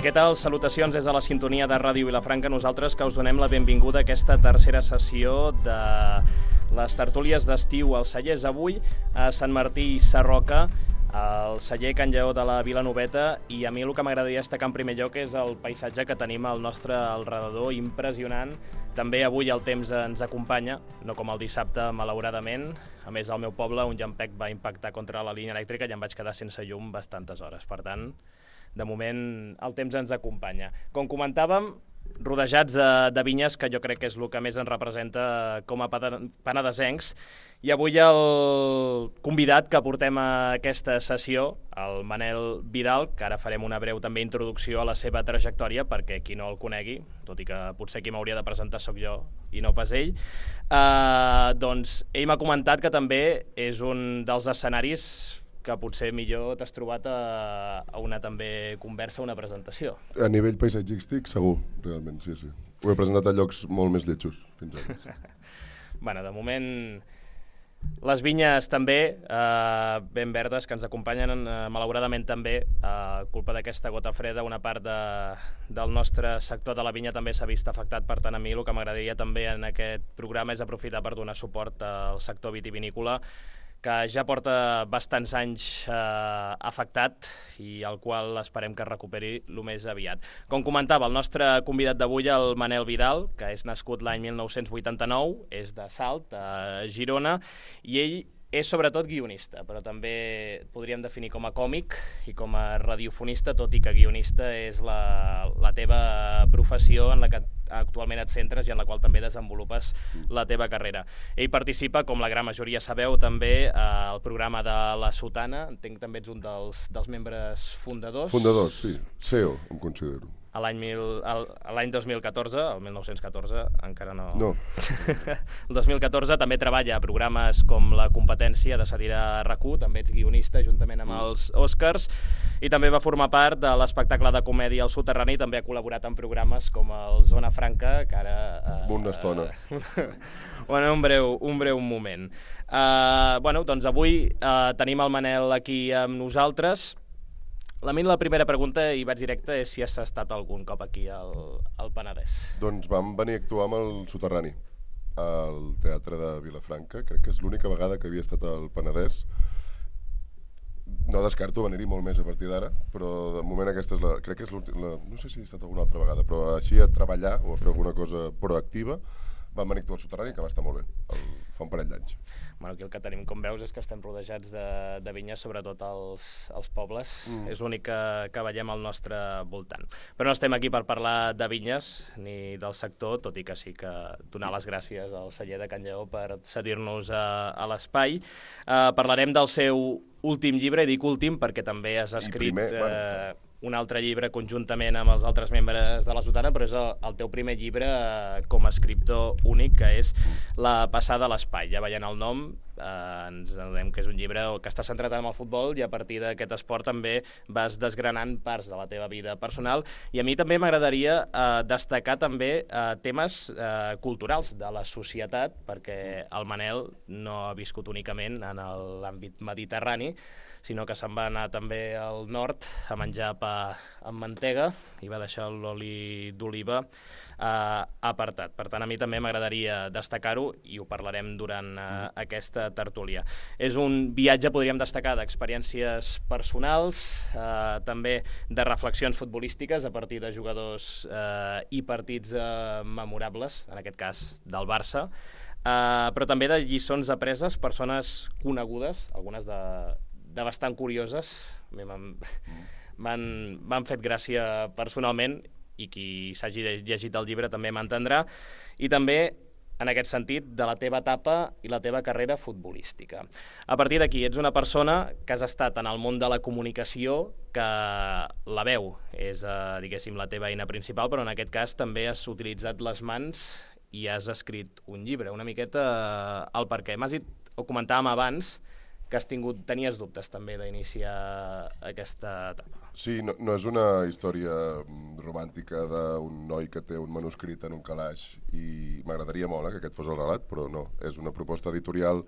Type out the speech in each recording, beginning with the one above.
Què tal? Salutacions des de la sintonia de Ràdio Vilafranca. Nosaltres que us donem la benvinguda a aquesta tercera sessió de les tertúlies d'estiu als cellers. Avui a Sant Martí Sarroca, al celler Can Lleó de la Vilanoveta, i a mi el que m'agradaria destacar en primer lloc és el paisatge que tenim al nostre alrededor, impressionant. També avui el temps ens acompanya, no com el dissabte, malauradament. A més, al meu poble un llampec va impactar contra la línia elèctrica i em vaig quedar sense llum bastantes hores. Per tant, de moment el temps ens acompanya. Com comentàvem, rodejats de vinyes, que jo crec que és el que més ens representa com a penedesencs. I avui el convidat que portem a aquesta sessió, el Manel Vidal, que ara farem una breu també introducció a la seva trajectòria, perquè qui no el conegui, tot i que potser qui m'hauria de presentar sóc jo i no pas ell, doncs ell m'ha comentat que també és un dels escenaris que potser millor t'has trobat a una també conversa, una presentació. A nivell paisatgístic, segur, realment, sí. Ho he presentat a llocs molt més lletjos, fins ara. Bueno, de moment, les vinyes també, ben verdes, que ens acompanyen, malauradament també, a culpa d'aquesta gota freda, una part del nostre sector de la vinya també s'ha vist afectat. Per tant, a mi el que m'agradaria també en aquest programa és aprofitar per donar suport al sector vitivinícola, que ja porta bastants anys afectat i al qual esperem que es recuperi el més aviat. Com comentava, el nostre convidat d'avui, el Manel Vidal, que és nascut l'any 1989, és de Salt, a Girona, i ell és sobretot guionista, però també podríem definir com a còmic i com a radiofonista, tot i que guionista és la teva professió en la que actualment et centres i en la qual també desenvolupes la teva carrera. Ell participa, com la gran majoria sabeu, també al programa de La Sotana. Entenc que també ets un dels membres fundadors. Fundadors, sí. CEO, em considero. L'any 2014, el 1914, encara no... No. El 2014 també treballa a programes com La Competència de Sàtira RAC1, també ets guionista juntament amb els Oscars, i també va formar part de l'espectacle de comèdia El Soterrani, i també ha col·laborat en programes com el Zona Franca, que ara... Una estona. Bueno, un breu moment. Doncs avui tenim el Manel aquí amb nosaltres. La primera pregunta, i vaig directe, és si has estat algun cop aquí al Penedès. Doncs vam venir a actuar amb el Soterrani, al Teatre de Vilafranca. Crec que és l'única vegada que havia estat al Penedès. No descarto venir-hi molt més a partir d'ara, però de moment aquesta és crec que és l'última... No sé si he estat alguna altra vegada, però així a treballar o a fer alguna cosa proactiva vam venir a actuar al Soterrani, que va estar molt bé, fa un parell d'anys. Bueno, aquí el que tenim, com veus, és que estem rodejats de vinyes, sobretot als pobles. És l'únic que veiem al nostre voltant. Però no estem aquí per parlar de vinyes ni del sector, tot i que sí que donar les gràcies al celler de Can Lleó per cedir-nos a l'espai. Parlarem del seu últim llibre, i dic últim perquè també has escrit un altre llibre conjuntament amb els altres membres de la Sotana, però és el teu primer llibre com a escriptor únic, que és La passada a l'espai. Ja veient el nom, ens adonem que és un llibre que està centrat en el futbol, i a partir d'aquest esport també vas desgranant parts de la teva vida personal. I a mi també m'agradaria destacar també temes culturals de la societat, perquè el Manel no ha viscut únicament en l'àmbit mediterrani, sinó que se'n va anar també al nord a menjar pa amb mantega i va deixar l'oli d'oliva apartat. Per tant, a mi també m'agradaria destacar-ho, i ho parlarem durant aquesta tertúlia. És un viatge, podríem destacar, d'experiències personals, també de reflexions futbolístiques a partir de jugadors i partits memorables, en aquest cas del Barça, però també de lliçons apreses, persones conegudes, algunes de bastant curioses, m'han fet gràcia personalment, i qui s'hagi llegit el llibre també m'entendrà, i també, en aquest sentit, de la teva etapa i la teva carrera futbolística. A partir d'aquí, ets una persona que has estat en el món de la comunicació, que la veu és, diguéssim, la teva eina principal, però en aquest cas també has utilitzat les mans i has escrit un llibre. Una miqueta el per què. M'has dit, ho comentàvem abans, que tenies dubtes també d'iniciar aquesta etapa. Sí, no és una història romàntica d'un noi que té un manuscrit en un calaix i m'agradaria molt que aquest fos el relat, però no. És una proposta editorial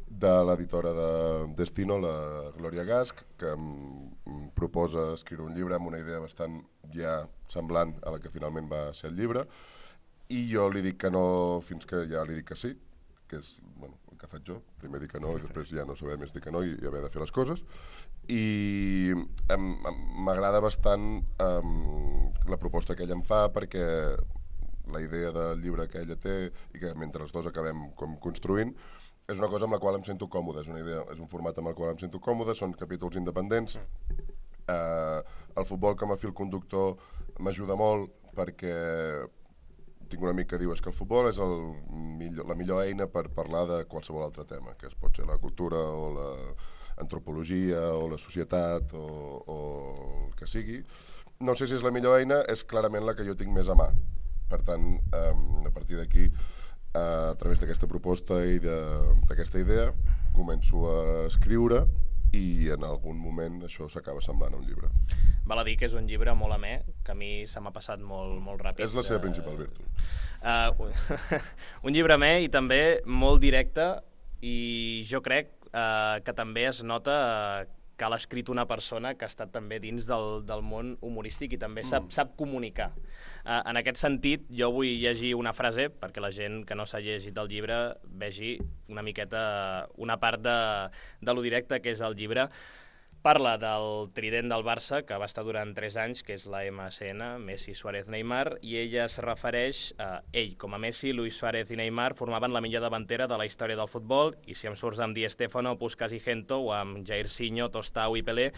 de l'editora de Destino, la Glòria Gasch, que em proposa escriure un llibre amb una idea bastant ja semblant a la que finalment va ser el llibre, i jo li dic que no fins que ja li dic que sí, que és el que faig jo, primer dir que no i després ja no saber més dir que no i haver de fer les coses. I m'agrada bastant la proposta que ella em fa, perquè la idea del llibre que ella té i que mentre els dos acabem construint és una cosa amb la qual em sento còmode, és un format amb el qual em sento còmode, són capítols independents. El futbol com a fil conductor m'ajuda molt perquè tinc un amic que diu que el futbol és la millor eina per parlar de qualsevol altre tema, que pot ser la cultura o l'antropologia o la societat o el que sigui. No sé si és la millor eina, és clarament la que jo tinc més a mà. Per tant, a partir d'aquí, a través d'aquesta proposta i d'aquesta idea, començo a escriure i en algun moment això s'acaba semblant a un llibre. Val a dir que és un llibre molt amè, que a mi se m'ha passat molt ràpid. És la seva principal virtut. Un llibre amè i també molt directe, i jo crec que també es nota que l'ha escrit una persona que ha estat també dins del món humorístic i també sap comunicar. En aquest sentit, jo vull llegir una frase perquè la gent que no s'ha llegit el llibre vegi una miqueta una part de lo directe que és el llibre. Parla del trident del Barça, que va estar durant 3 anys, que és la MSN, Messi, Suárez, Neymar, i ella es refereix a ell, com a Messi, Luis Suárez i Neymar formaven la millor davantera de la història del futbol, i si em surts amb Di Stéfano, Puskás i Gento, o amb Jairzinho, Tostau i Pelé,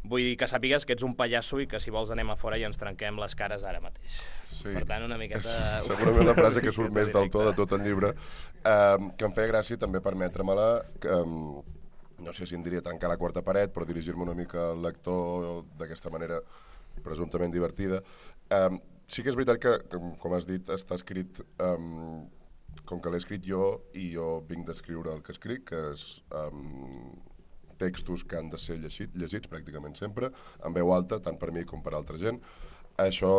vull dir que sàpigues que ets un pallasso i que si vols anem a fora i ens trenquem les cares ara mateix. Sí. Per tant, una miqueta... És segurament la frase que surt més del to de tot el llibre, que em feia gràcia també permetre-me-la, no sé si em diria trencar la quarta paret, però dirigir-me una mica al lector d'aquesta manera presumptament divertida. Sí que és veritat que, com has dit, està escrit, com que l'he escrit jo, i jo vinc d'escriure el que escric, que és textos que han de ser llegits pràcticament sempre, en veu alta, tant per mi com per altra gent. Això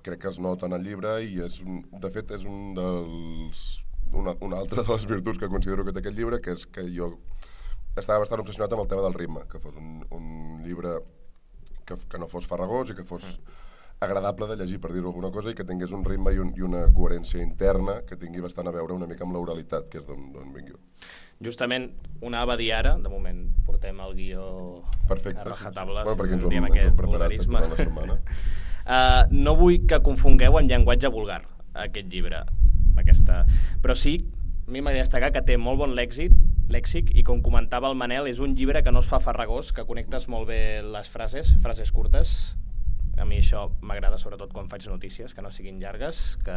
crec que es nota en el llibre i de fet és una altra de les virtuts que considero que té aquest llibre, que és que jo estava bastant obsessionat amb el tema del ritme, que fos un llibre que no fos farragós i que fos agradable de llegir, per dir-ho alguna cosa, i que tingués un ritme i una coherència interna que tingui bastant a veure una mica amb l'oralitat, que és d'on vinc jo. Justament ho anava a dir ara, de moment portem el guió perfecte, a rajatabla, bueno, perquè ens ho aquest preparat vulgarisme. durant la setmana. No vull que confongueu en llenguatge vulgar aquest llibre, però sí, a mi m'agrada destacar que té molt bon lèxic i, com comentava el Manel, és un llibre que no es fa farragós, que connectes molt bé les frases curtes. A mi això m'agrada, sobretot quan faig notícies, que no siguin llargues, que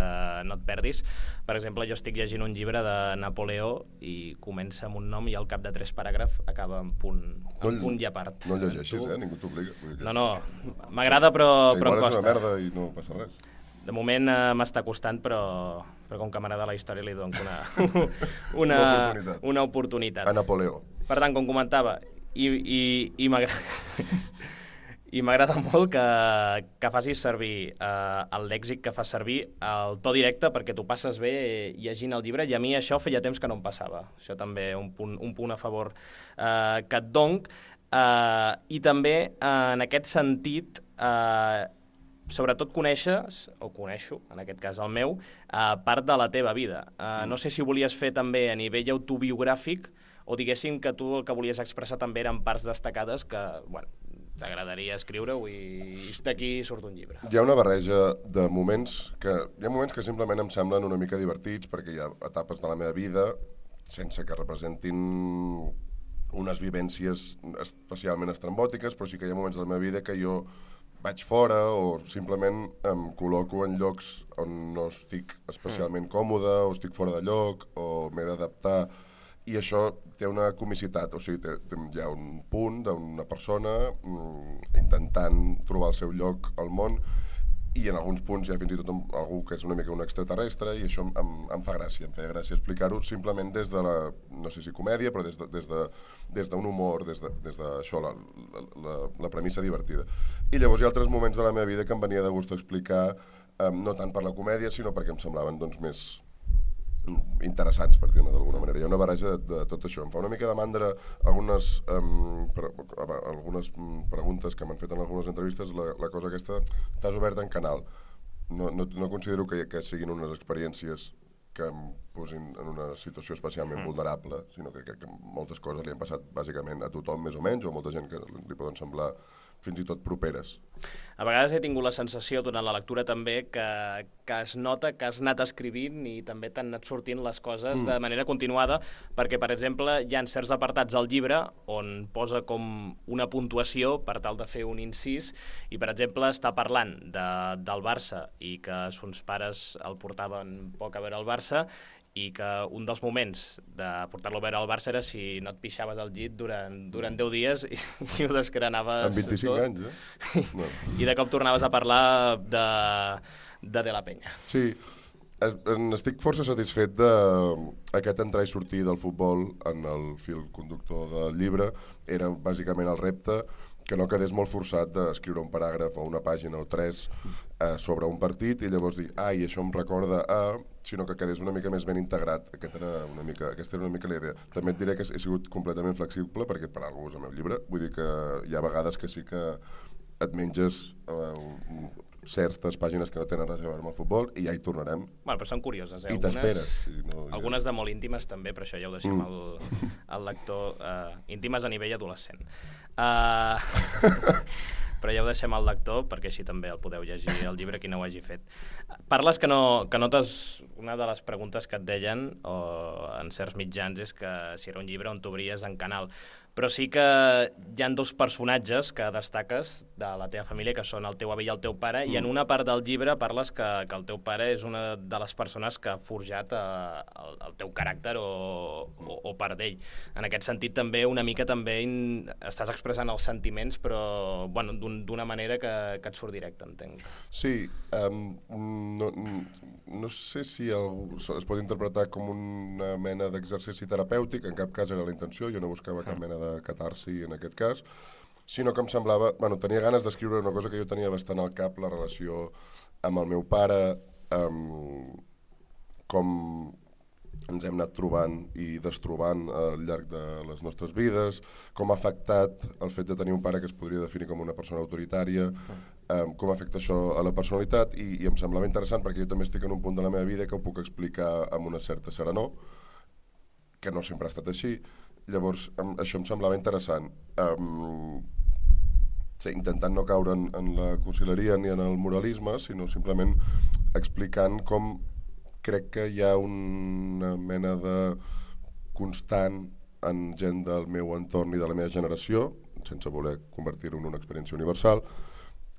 no et perdis. Per exemple, jo estic llegint un llibre de Napoleó i comença amb un nom i al cap de 3 paràgrafs acaba en punt i a part. No el llegeixis, ningú t'obliga. No, m'agrada però em costa. Igual és una merda i no passa res. De moment m'està costant, però com que m'agrada la història li dono una oportunitat. A Napoleó. Per tant, com comentava, i m'agrada molt que facis servir el lèxic que fas servir, el to directe, perquè t'ho passes bé llegint el llibre, i a mi això feia temps que no em passava. Això també un punt a favor que et dono. I també, en aquest sentit, sobretot coneixo, en aquest cas el meu, part de la teva vida. No sé si volies fer també a nivell autobiogràfic o diguéssim que tu el que volies expressar també eren parts destacades que, bueno, t'agradaria escriure-ho i d'aquí surt un llibre. Hi ha una barreja de moments que simplement em semblen una mica divertits perquè hi ha etapes de la meva vida sense que representin unes vivències especialment estrambòtiques, però sí que hi ha moments de la meva vida que jo vaig fora o simplement em col·loco en llocs on no estic especialment còmode o estic fora de lloc o m'he d'adaptar, i això té una comicitat, o sigui, hi ha un punt d'una persona intentant trobar el seu lloc al món i en alguns punts hi ha fins i tot algú que és una mica un extraterrestre, i això em fa gràcia, em feia gràcia explicar-ho simplement des de la, no sé si comèdia, però des d'un humor, des d'això, la premissa divertida. I llavors hi ha altres moments de la meva vida que em venia de gust explicar, no tant per la comèdia, sinó perquè em semblaven doncs, més interessants, per dir-ne d'alguna manera. Hi ha una barreja de tot això. Em fa una mica de mandra algunes preguntes que m'han fet en algunes entrevistes, la cosa aquesta, t'has obert en canal. No considero que siguin unes experiències que em posin en una situació especialment vulnerable, sinó que crec que moltes coses li han passat bàsicament a tothom, més o menys, o a molta gent que li poden semblar fins i tot properes. A vegades he tingut la sensació durant la lectura també que es nota que has anat escrivint i també t'han anat sortint les coses de manera continuada, perquè, per exemple, hi ha certs apartats al llibre on posa com una puntuació per tal de fer un incís i, per exemple, està parlant del Barça i que sons pares el portaven poc a veure el Barça i que un dels moments de portar-lo a veure al Barça era si no et pixaves al llit durant 10 dies i ho desgranaves amb 25 tot. Anys, No. I de cop tornaves a parlar de la Penya. Sí, estic força satisfet d'aquest entrar i sortir del futbol en el fil conductor del llibre. Era bàsicament el repte, que no quedés molt forçat d'escriure un paràgraf o una pàgina o 3 sobre un partit i llavors dir, i això em recorda sinó que quedés una mica més ben integrat. Aquesta era una mica la idea. També et diré que he sigut completament flexible perquè per alguna cosa al meu llibre, vull dir que hi ha vegades que sí que et menges certes pàgines que no tenen res a veure amb el futbol i ja hi tornarem. Bueno, però són curioses, I t'esperes. Algunes de molt íntimes també, però això ja ho deixem al lector. Íntimes a nivell adolescent. Però ja ho deixem al lector perquè així també el podeu llegir el llibre qui no ho hagi fet. Parles que notes una de les preguntes que et deien en certs mitjans és que si era un llibre on t'obries en canal, però sí que hi ha dos personatges que destaques de la teva família, que són el teu avi i el teu pare, i en una part del llibre parles que el teu pare és una de les persones que ha forjat el teu caràcter o part d'ell. En aquest sentit també una mica també estàs expressant els sentiments, però bueno, d'una manera que et surt directe, entenc. Sí, no sé si es pot interpretar com una mena d'exercici terapèutic, en cap cas era la intenció, jo no buscava cap mena de catarsi en aquest cas, sinó que em semblava, tenia ganes d'escriure una cosa que jo tenia bastant al cap, la relació amb el meu pare, com ens hem anat trobant i destrobant al llarg de les nostres vides, com ha afectat el fet de tenir un pare que es podria definir com una persona autoritària, com afecta això a la personalitat, i em semblava interessant perquè jo també estic en un punt de la meva vida que ho puc explicar amb una certa serenor, que no sempre ha estat així. Llavors, això em semblava interessant. Intentant no caure en la cursileria ni en el moralisme, sinó simplement explicant com crec que hi ha una mena de constant en gent del meu entorn i de la meva generació, sense voler convertir-ho en una experiència universal,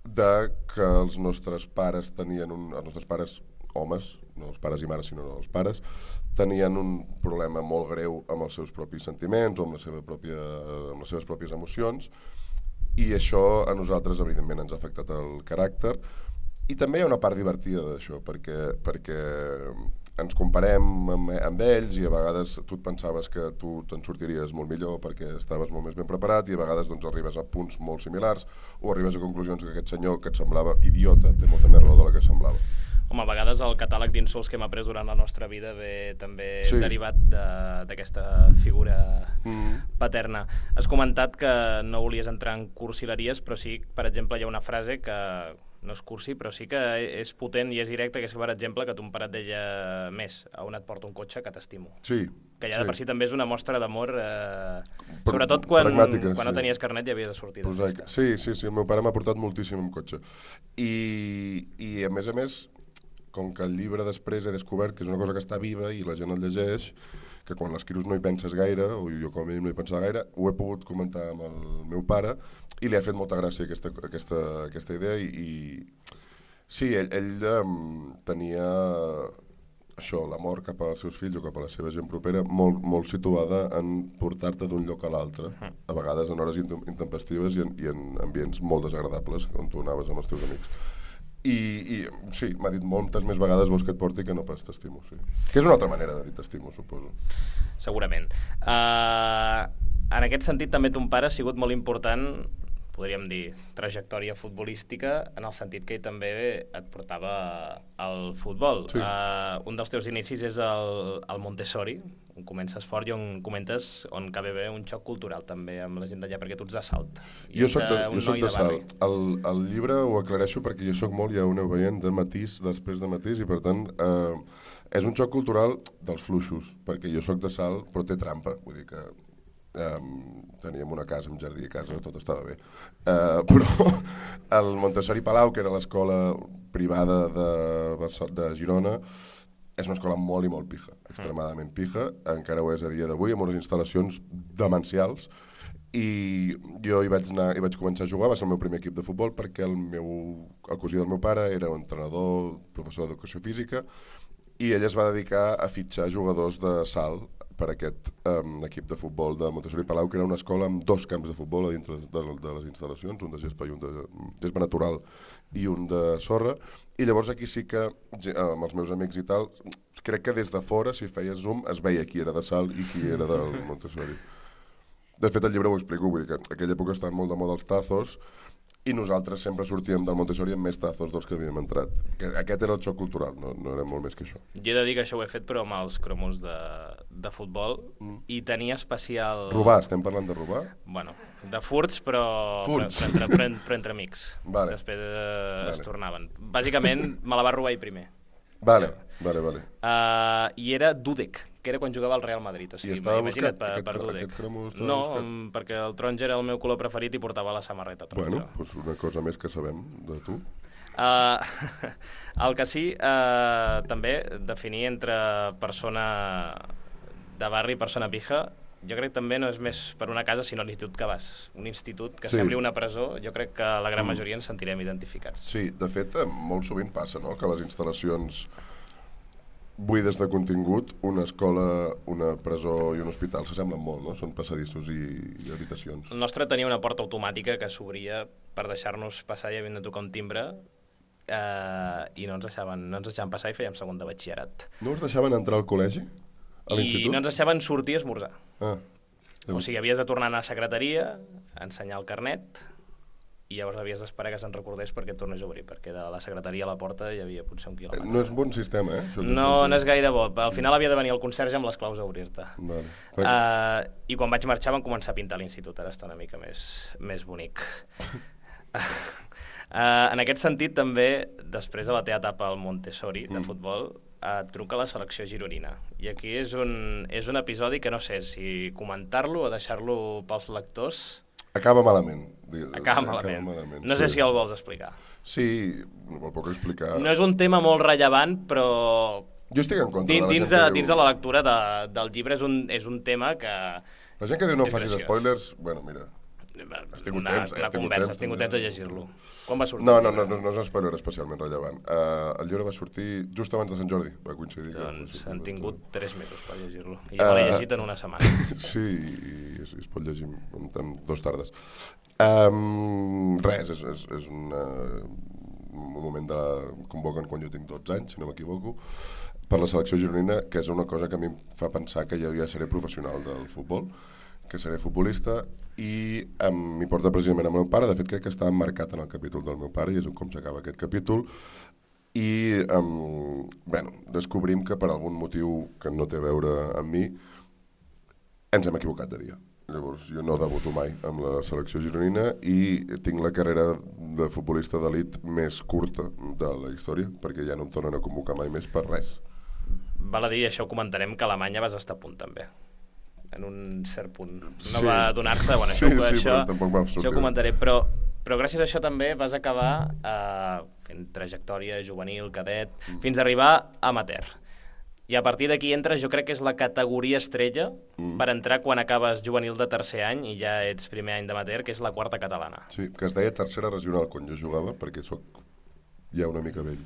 de que els nostres pares tenien els nostres pares, homes, no els pares i mares, sinó els pares, tenien un problema molt greu amb els seus propis sentiments o amb les seves pròpies emocions, i això a nosaltres evidentment ens ha afectat el caràcter. I també hi ha una part divertida d'això, perquè ens comparem amb ells i a vegades tu et pensaves que tu te'n sortiries molt millor perquè estaves molt més ben preparat i a vegades doncs, arribes a punts molt similars o arribes a conclusions que aquest senyor que et semblava idiota té molta més raó de la que semblava. Home, a vegades el catàleg d'insults que hem après durant la nostra vida ve també derivat d'aquesta figura paterna. Has comentat que no volies entrar en cursileries, però sí, per exemple, hi ha una frase que no és cursi, però sí que és potent i és directa, que és, per exemple, que ton pare et deia més, a on et porta un cotxe que t'estimo. Sí. Que ja de per si també és una mostra d'amor, sobretot quan no tenies carnet i havies de sortir de festa. Sí, el meu pare m'ha portat moltíssim en cotxe. I a més, com que el llibre després he descobert que és una cosa que està viva i la gent el llegeix, que quan l'escrius no hi penses gaire, o jo com a mínim no hi pensava gaire, ho he pogut comentar amb el meu pare i li ha fet molta gràcia aquesta idea i sí, ell tenia això, l'amor cap als seus fills o cap a la seva gent propera molt, molt situada en portar-te d'un lloc a l'altre, a vegades en hores intempestives i en ambients molt desagradables on tu anaves amb els teus amics. I sí, m'ha dit moltes més vegades vols que et porti que no pas t'estimo, sí. Que és una altra manera de dir t'estimo, suposo. Segurament. En aquest sentit, també ton pare ha sigut molt important, podríem dir, trajectòria futbolística, en el sentit que ell també et portava al futbol. Sí. Un dels teus inicis és el Montessori, on comences fort i on comentes on cal haver un xoc cultural també amb la gent d'allà, perquè tu ets de Salt. Jo soc de Salt. El llibre ho aclareixo perquè jo soc molt, ja ho aneu veient, de matís, després de matís, i per tant és un xoc cultural dels fluixos, perquè jo soc de Salt, però té trampa, vull dir que teníem una casa amb jardí a casa, tot estava bé. Però el Montessori Palau, que era l'escola privada de Girona, és una escola molt i molt pija, extremadament pija, encara ho és a dia d'avui, amb unes instal·lacions demencials, i jo hi vaig començar a jugar, va ser el meu primer equip de futbol, perquè el cosí del meu pare era un entrenador, professor d'educació física, i ell es va dedicar a fitxar jugadors de salt per aquest equip de futbol de Montessori Palau, que era una escola amb 2 camps de futbol a dintre de les instal·lacions, un de gespa i un de gespa natural i un de sorra, i llavors aquí sí que, amb els meus amics i tal, crec que des de fora, si feies zoom, es veia qui era de Salt i qui era del Montessori. De fet, el llibre ho explico, vull dir que en aquella època estaven molt de moda els tazos, i nosaltres sempre sortíem del Montessori amb més tazos dels que havíem entrat. Aquest era el xoc cultural, no era molt més que això. Jo he de dir que això ho he fet, però amb els cromos de futbol, i tenia especial... Robar, estem parlant de robar? Bueno, de furts, però entre amics. Vale. Després es tornaven. Bàsicament, me la va robar ell primer. Vale. I era Dudek, que era quan jugava al Real Madrid. O sigui, I estava imagina't buscat per Dudek. aquest cromo? No, perquè el taronja era el meu color preferit i portava la samarreta taronja. Bueno, doncs una cosa més que sabem de tu. El que sí, també, definir entre persona de barri i persona pija, jo crec que també no és més per una casa, sinó l'institut que vas. Un institut que sembli una presó, jo crec que la gran majoria ens sentirem identificats. Sí, de fet, molt sovint passa, no?, que les instal·lacions buides de contingut, una escola, una presó i un hospital s'assemblen molt, no? Són passadissos i habitacions. El nostre tenia una porta automàtica que s'obria per deixar-nos passar i havent de tocar un timbre, i no ens deixaven passar i fèiem segon de batxillerat. No us deixaven entrar al col·legi? A l'institut? I no ens deixaven sortir a esmorzar. O sigui, havies de tornar a anar a secretaria, ensenyar el carnet, i llavors havies d'esperar que se'n recordés perquè et tornés a obrir, perquè de la secretaria a la porta hi havia potser 1 quilòmetre. No és bon sistema, No és gaire bo. Al final havia de venir el conserge amb les claus a obrir-te. I quan vaig marxar van començar a pintar l'institut, ara està una mica més bonic. En aquest sentit, també, després de la teva etapa al Montessori de futbol, et truca la selecció gironina. I aquí és un episodi que no sé si comentar-lo o deixar-lo pels lectors. Acaba malament. No sé si el vols explicar. Sí, el puc explicar. No és un tema molt rellevant, però... Jo estic en contra de la gent que dins de la lectura del llibre és un tema que... La gent que diu no facis spoilers, bueno, mira... Has tingut temps de llegir-lo. Quan va sortir? No és un spoiler especialment rellevant. El llibre va sortir just abans de Sant Jordi, va coincidir. Doncs han tingut 3 mesos per llegir-lo. I ja l'he llegit en una setmana. Sí, i es pot llegir en 2 tardes. Res, és un moment de convoquen quan jo tinc 12 anys, si no m'equivoco, per la selecció gironina, que és una cosa que a mi em fa pensar que jo ja seré professional del futbol, que seré futbolista, i m'hi porta precisament el meu pare. De fet, crec que està emmarcat en el capítol del meu pare i és com s'acaba aquest capítol. I descobrim que per algun motiu que no té a veure amb mi ens hem equivocat de dia. Llavors jo no debuto mai amb la selecció gironina i tinc la carrera de futbolista d'elit més curta de la història, perquè ja no em tornen a convocar mai més per res. Val a dir, això ho comentarem, que a Alemanya vas estar a punt també, en un cert punt. No va donar-se, això ho comentaré, però gràcies a això també vas acabar fent trajectòria juvenil, cadet, fins a arribar a amateur. I a partir d'aquí entres, jo crec que és la categoria estrella per entrar quan acabes juvenil de tercer any i ja ets primer any d'amateur, que és la 4a catalana. Sí, que es deia tercera regional quan jo jugava, perquè soc ja una mica vell.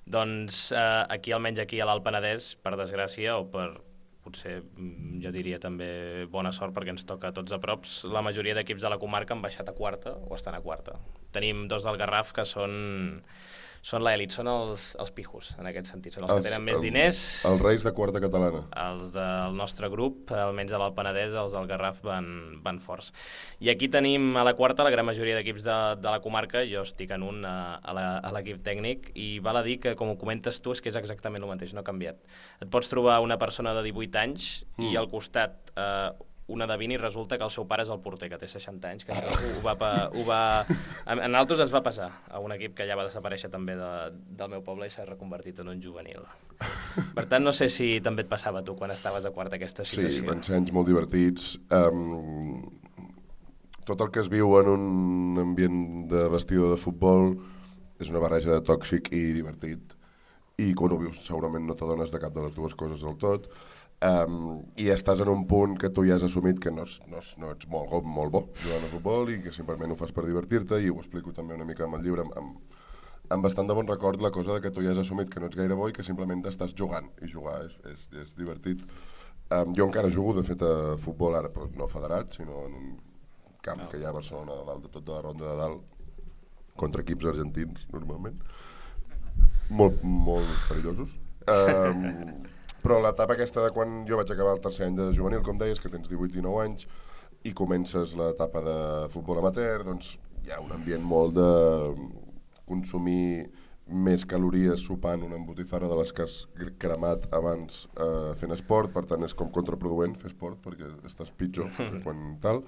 Doncs almenys aquí a l'Alt Penedès, per desgràcia o per potser jo diria també bona sort perquè ens toca a tots a props. La majoria d'equips de la comarca han baixat a quarta o estan a quarta. Tenim 2 del Garraf que són l'elit, són els pijos, en aquest sentit. Són els que tenen més diners. Els reis de quarta catalana. Els del nostre grup, almenys a l'Alt Penedès, els del Garraf van forts. I aquí tenim a la quarta la gran majoria d'equips de la comarca. Jo estic en un a l'equip tècnic i val a dir que, com ho comentes tu, és que és exactament el mateix, no ha canviat. Et pots trobar una persona de 18 anys i al costat una de 20 i resulta que el seu pare és el porter, que té 60 anys, que en altres ens va passar a un equip que ja va desaparèixer també del meu poble i s'ha reconvertit en un juvenil. Per tant, no sé si també et passava tu quan estaves a quarta aquesta situació. Sí, van ser anys molt divertits. Tot el que es viu en un ambient de vestidor de futbol és una barreja de tòxic i divertit, i quan ho vius segurament no t'adones de cap de les dues coses del tot. I estàs en un punt que tu ja has assumit que no ets molt bo jugant a futbol i que simplement ho fas per divertir-te, i ho explico també una mica amb el llibre amb bastant de bon record, la cosa de que tu ja has assumit que no ets gaire bo i que simplement estàs jugant, i jugar és divertit. Jo encara jugo de fet a futbol ara, però no federat, sinó en un camp que hi ha a Barcelona, de dalt de tota la ronda de dalt, contra equips argentins normalment, molt perillosos. Però l'etapa aquesta de quan jo vaig acabar el tercer any de juvenil, com deies, que tens 18 i 9 anys, i comences l'etapa de futbol amateur, doncs hi ha un ambient molt de consumir més calories sopant una embotifarra de les que has cremat abans fent esport, per tant és com contraproduent fer esport perquè estàs pitjor quan tal.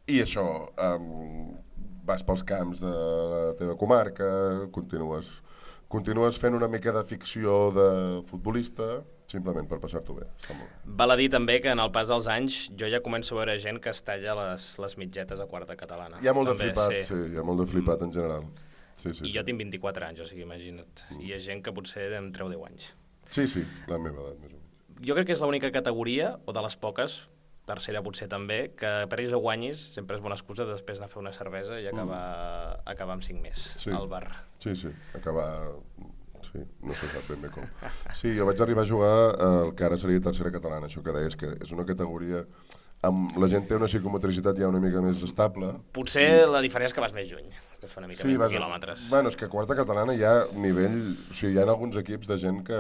I això, vas pels camps de la teva comarca, continues fent una mica de ficció de futbolista, simplement per passar-t'ho bé. Val a dir també que en el pas dels anys jo ja començo a veure gent que es talla les mitgetes a quarta catalana. Hi ha molt de flipat, sí, hi ha molt de flipat en general. I jo tinc 24 anys, o sigui, imagina't. I hi ha gent que potser em treu 10 anys. Sí, la meva edat, més o menys. Jo crec que és l'única categoria, o de les poques, tercera potser també, que perdis o guanyis sempre és bona excusa de després anar a fer una cervesa i acabar amb 5 més al bar. Sí, acabar... Sí, no se sap ben bé com. Sí, jo vaig arribar a jugar el que ara seria tercera catalana, això que deies, que és una categoria... La gent té una psicomotricitat ja una mica més estable. Potser la diferència és que vas més lluny, has de fer una mica més de quilòmetres. Bueno, és que a quarta catalana hi ha nivell... O sigui, hi ha alguns equips de gent que...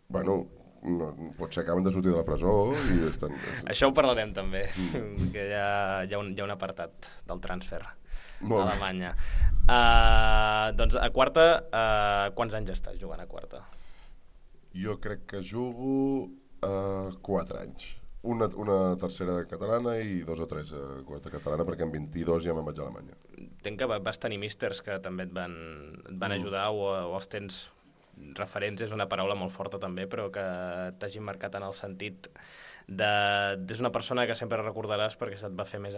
Bueno, potser acaben de sortir de la presó i estan... Això ho parlarem també, que hi ha un apartat del transfer a Alemanya. Doncs a quarta, quants anys estàs jugant a quarta? Jo crec que jugo 4 anys. Una tercera catalana i 2 o 3 a quarta catalana, perquè en 22 ja me'n vaig a Alemanya. Entenc que vas tenir místers que també et van ajudar o els tens referents, és una paraula molt forta també, però que t'hagin marcat en el sentit és una persona que sempre recordaràs perquè se't va fer més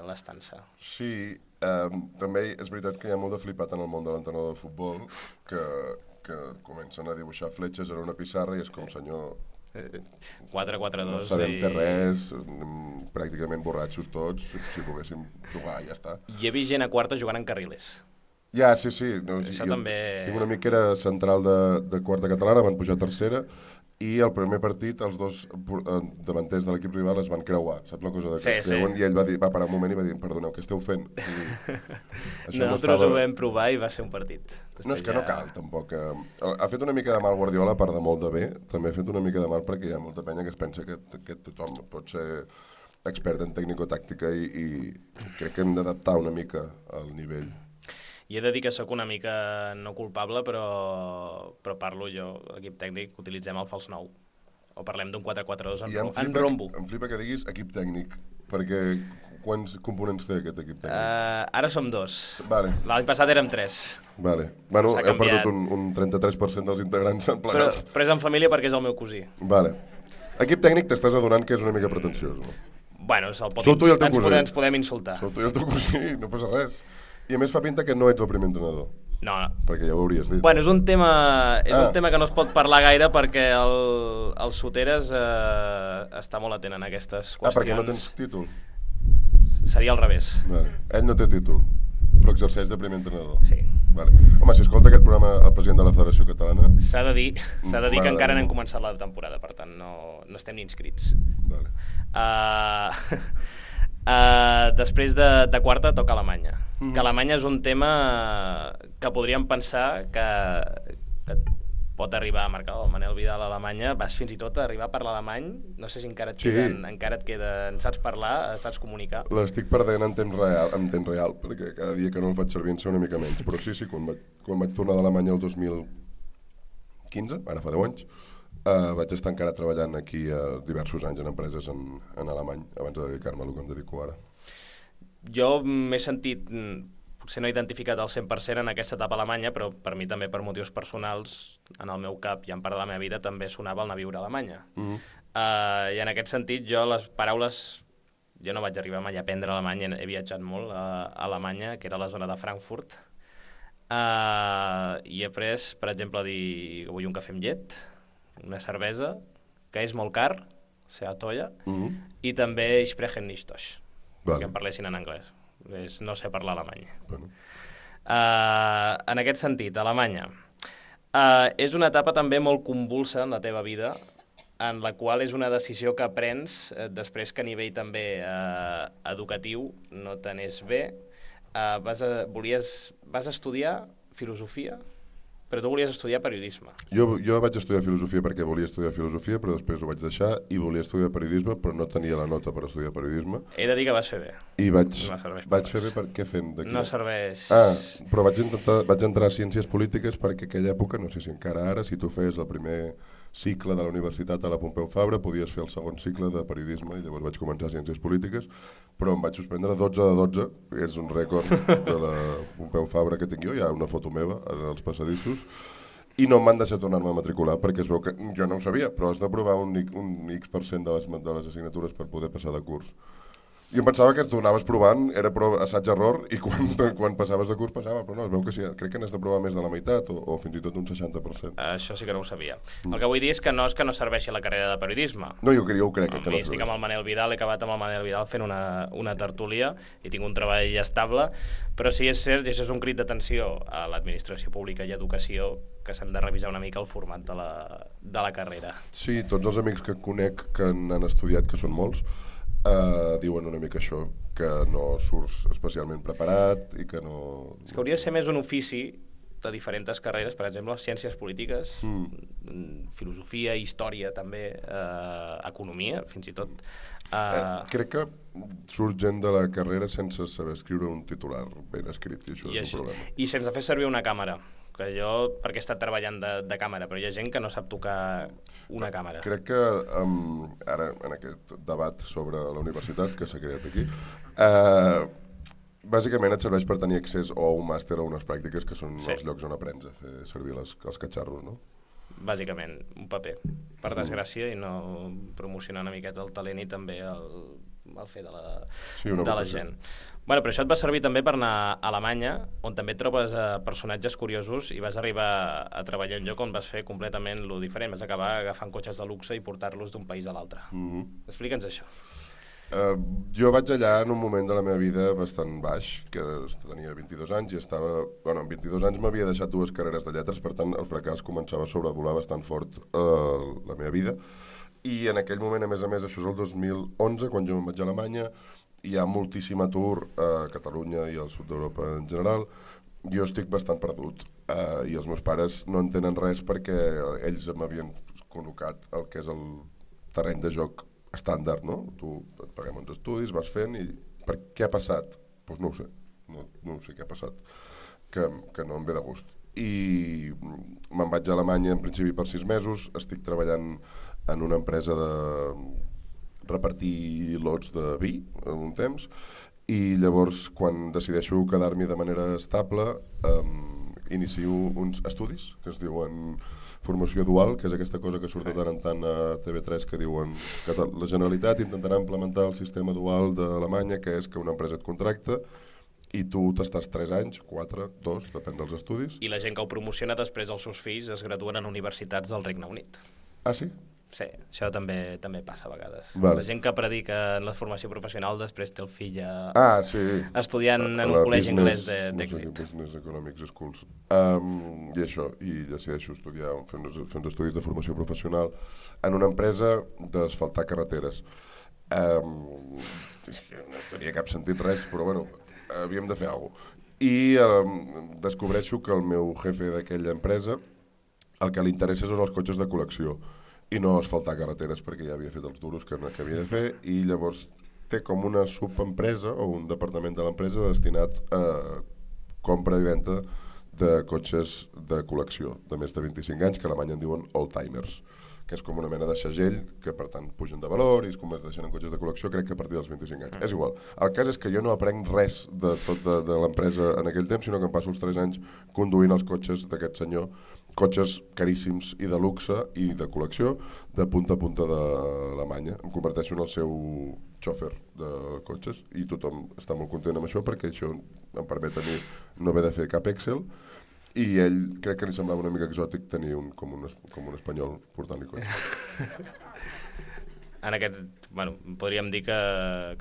l'estança. Sí, també és veritat que hi ha molt de flipat en el món de l'entrenador de futbol que comencen a dibuixar fletxes en una pissarra i és com, senyor... 4-4-2. No sabem fer res, pràcticament borratxos tots, si poguéssim jugar, ja està. I he vist gent a quarta jugant en carriles. Ja, sí. Això també... Tinc un amic que era central de quarta catalana, van pujar a tercera, i el primer partit els dos davanters de l'equip rival es van creuar, saps la cosa de que es creuen? I ell va parar un moment i va dir, perdoneu, què esteu fent? Nosaltres ho vam provar i va ser un partit. No, és que no cal, tampoc. Ha fet una mica de mal Guardiola, a part de molt de bé, també ha fet una mica de mal perquè hi ha molta penya que es pensa que tothom pot ser expert en tècnico-tàctica i crec que hem d'adaptar una mica al nivell. I he de dir que sóc una mica no culpable, però parlo jo, l'equip tècnic, utilitzem el fals 9. O parlem d'un 4-4-2 en rombo. Em flipa que diguis equip tècnic, perquè quants components té aquest equip tècnic? Ara som 2. Vale. L'any passat érem 3. Vale. Bueno, hem perdut un 33% dels integrants en plegat. Però és en família perquè és el meu cosí. Vale. Equip tècnic t'estàs adonant que és una mica pretensiós, no? Bueno, ens podem insultar. Sou tu i el teu cosí, no passa res. I a més fa pinta que no ets el primer entrenador. No. Perquè ja ho hauries dit. Bueno, és un tema que no es pot parlar gaire perquè el Soteres està molt atent en aquestes qüestions. Perquè no tens títol? Seria al revés. Vale. Ell no té títol, però exerceix de primer entrenador. Sí. Vale. Home, si escolta aquest programa el president de la Federació Catalana... S'ha de dir que encara no hem començat la temporada, per tant no estem ni inscrits. Vale. Després de quarta toca Alemanya. Que Alemanya és un tema que podríem pensar que pot arribar a marcar el Manel Vidal a Alemanya. Vas fins i tot a arribar a parlar alemany. No sé si encara et queden, saps parlar, saps comunicar. L'estic perdent en temps real, perquè cada dia que no el faig servir en sé una mica menys. Però sí, quan vaig tornar d'Alemanya el 2015, ara fa 10 anys, vaig estar encara treballant aquí diversos anys en empreses en alemany, abans de dedicar-me a el que em dedico ara. Jo m'he sentit... Potser no he identificat al 100% en aquesta etapa a Alemanya, però per mi també per motius personals, en el meu cap i en part de la meva vida, també sonava el anar a viure a Alemanya. I en aquest sentit, jo les paraules... Jo no vaig arribar mai a aprendre alemany, he viatjat molt a Alemanya, que era la zona de Frankfurt, i he après, per exemple, a dir que vull un cafè amb llet, una cervesa, que és molt car, sea tolla, i també ich spreche nicht Deutsch, que em parlessin en anglès. No sé parlar alemany. Bueno. En aquest sentit, Alemanya és una etapa també molt convulsa en la teva vida, en la qual és una decisió que prens després que a nivell també educatiu no t'anés bé. Vas estudiar filosofia, però tu volies estudiar periodisme. Jo vaig estudiar filosofia perquè volia estudiar filosofia, però després ho vaig deixar i volia estudiar periodisme, però no tenia la nota per estudiar periodisme. He de dir que vas fer bé. I vaig fer bé per què fent d'aquí? No serveix... Però vaig entrar a Ciències Polítiques perquè aquella època, no sé si encara ara, si tu feies el primer cicle de la universitat a la Pompeu Fabra, podies fer el segon cicle de periodisme i llavors vaig començar Ciències Polítiques, però em vaig suspendre 12 de 12, que és un rècord de la Pompeu Fabra que tinc jo, hi ha una foto meva en els passadissos, i no m'han deixat tornar-me a matricular perquè es veu que jo no ho sabia, però has d'aprovar un X% de les assignatures per poder passar de curs. I em pensava que tu anaves provant, era assaig-error, i quan passaves de curs passava, però no, es veu que sí, crec que n'has de provar més de la meitat o fins i tot un 60%. Això sí que no ho sabia. El que vull dir és que no serveixi la carrera de periodisme. No, jo ho crec que no serveix. Estic amb el Manel Vidal, he acabat amb el Manel Vidal fent una tertúlia i tinc un treball estable, però sí és cert, i això és un crit d'atenció a l'administració pública i educació, que s'hem de revisar una mica el format de la carrera. Sí, tots els amics que conec que han estudiat, que són molts, diuen una mica això, que no surts especialment preparat i que no... És que hauria de ser més un ofici de diferents carreres, per exemple, ciències polítiques, filosofia, història també, economia, fins i tot. Crec que surt gent de la carrera sense saber escriure un titular ben escrit, i això és un problema. I sense fer servir una càmera, que jo, perquè he estat treballant de càmera, però hi ha gent que no sap tocar una càmera. Crec que ara, en aquest debat sobre la universitat que s'ha creat aquí, bàsicament et serveix per tenir accés o a un màster o a unes pràctiques que són els llocs on aprens a fer servir els catxarros, no? Bàsicament, un paper, per desgràcia, i no promocionar una miqueta el talent i també el fer de la gent. Bueno, però això et va servir també per anar a Alemanya, on també trobes personatges curiosos i vas arribar a treballar en un lloc on vas fer completament lo diferent. Vas acabar agafant cotxes de luxe i portar-los d'un país a l'altre. Explica'ns això. Jo vaig allà en un moment de la meva vida bastant baix, que tenia 22 anys i estava... Bueno, en 22 anys m'havia deixat 2 carreres de lletres, per tant el fracàs començava a sobrevolar bastant fort la meva vida. I en aquell moment, a més, això és el 2011, quan jo me'n vaig a Alemanya, hi ha moltíssim atur a Catalunya i al sud d'Europa en general. Jo estic bastant perdut i els meus pares no entenen res perquè ells m'havien col·locat el que és el terreny de joc estàndard, no? Tu et paguem uns estudis, vas fent i... Què ha passat? Doncs no ho sé. No sé què ha passat. Que no em ve de gust. I me'n vaig a Alemanya en principi per 6 mesos, estic treballant en una empresa de repartir lots de vi un temps, i llavors quan decideixo quedar-m'hi de manera estable inicio uns estudis que es diuen formació dual, que és aquesta cosa que surt de tant en tant a TV3 que diuen que la Generalitat intentarà implementar el sistema dual d'Alemanya, que és que una empresa et contracta i tu t'estàs 3 anys, 4, 2, depèn dels estudis. I la gent que ho promociona després els seus fills es graduen en universitats del Regne Unit. Ah, sí? Sí, això també passa a vegades. Vale. La gent que predica en la formació professional després té el fill estudiant en un col·legi anglès d'èxit. No sé, Business Economics Schools. I això, i decideixo estudiar, fer uns estudis de formació professional en una empresa d'asfaltar carreteres. És que no tenia cap sentit res, però bueno, havíem de fer alguna cosa. I descobreixo que el meu jefe d'aquella empresa el que li interessa són els cotxes de col·lecció i no asfaltar carreteres, perquè ja havia fet els duros que havia de fer, i llavors té com una subempresa o un departament de l'empresa destinat a compra i venda de cotxes de col·lecció de més de 25 anys, que a Alemanya en diuen oldtimers, que és com una mena de segell que per tant pugen de valor i es converteixen en cotxes de col·lecció, crec que a partir dels 25 anys. És igual. El cas és que jo no aprenc res de tot de l'empresa en aquell temps, sinó que em passo els 3 anys conduint els cotxes d'aquest senyor, cotxes caríssims i de luxe i de col·lecció de punta a punta d'Alemanya. Em converteixo en el seu xòfer de cotxes i tothom està molt content amb això perquè això em permet a mi no haver de fer cap Excel. I ell crec que li semblava una mica exòtic tenir com un espanyol portant-li cotxe. En podríem dir que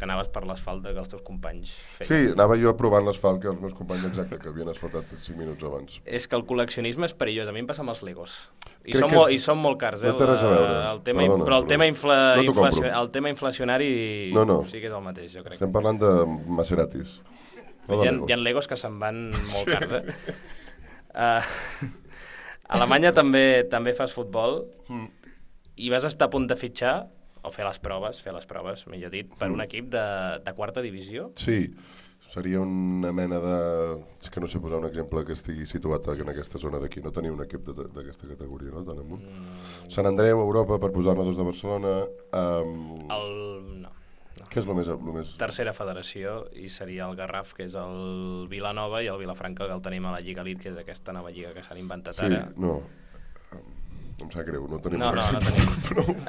anaves per l'asfalt que els teus companys feien. Sí, anava jo provant l'asfalt que els meus companys exacte, que havien asfaltat 5 minuts abans. És que el col·leccionisme és perillós. A mi em passa amb els Legos. I són molt cars. No té res a veure. Però el tema inflacionari sí que és el mateix, jo crec. Estem parlant de Maseratis. Hi ha Legos que se'n van molt cars, A Alemanya també fas futbol i vas estar a punt de fitxar o fer les proves, millor dit, per un equip de quarta divisió. Sí, seria una mena de... És que no sé posar un exemple que estigui situat en aquesta zona d'aquí. No tenia un equip d'aquesta categoria, no? Tan amunt. Sant Andreu, Europa, per posar-ne dos de Barcelona. No. Què és el més... Tercera federació, i seria el Garraf, que és el Vilanova, i el Vilafranca, que el tenim a la Lliga Elite, que és aquesta nova lliga que s'han inventat ara. Sí, no. Em sap greu, no tenim... No tenim.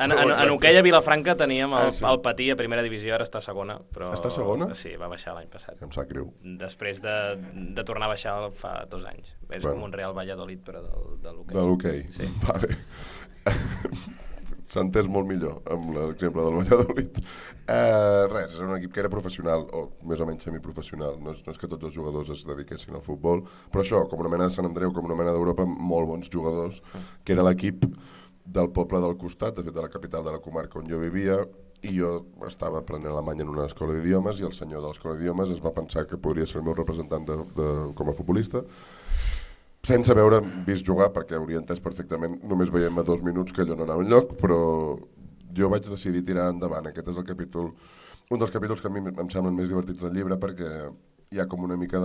En hoquei a Vilafranca teníem el Patí a primera divisió, ara està a segona. Està a segona? Sí, va baixar l'any passat. Em sap greu. Després de tornar a baixar fa 2 anys. És com un Real Valladolid, però de l'hoquei. De l'hoquei, sí. Vale. S'ha entès molt millor amb l'exemple del Valladolid. Res, és un equip que era professional, o més o menys semiprofessional. No és que tots els jugadors es dediquessin al futbol, però això, com una mena de Sant Andreu, com una mena d'Europa, molt bons jugadors, que era l'equip del poble del costat, de fet de la capital de la comarca on jo vivia, i jo estava aprenent alemany en una escola d'idiomes, i el senyor de l'escola d'idiomes es va pensar que podria ser el meu representant com a futbolista, sense haver vist jugar, perquè hauria entès perfectament, només veiem a 2 minuts que allò no anava enlloc, però jo vaig decidir tirar endavant. Aquest és el capítol, un dels capítols que a mi em semblen més divertits del llibre, perquè hi ha com una mica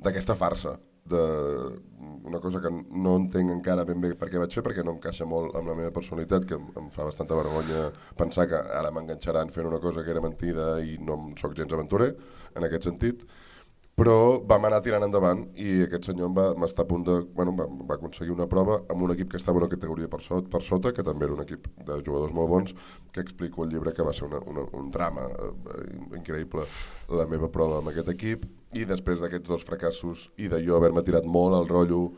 d'aquesta farsa, una cosa que no entenc encara ben bé per què vaig fer, perquè no encaixa molt amb la meva personalitat, que em fa bastanta vergonya pensar que ara m'enganxaran fent una cosa que era mentida i no sóc gens aventurer, en aquest sentit. Però vam anar tirant endavant i aquest senyor va estar a punt de... va aconseguir una prova amb un equip que estava en una categoria per sota, que també era un equip de jugadors molt bons, que explico al llibre que va ser un drama increïble la meva prova amb aquest equip, i després d'aquests 2 fracassos i de jo haver-me tirat molt al rotllo,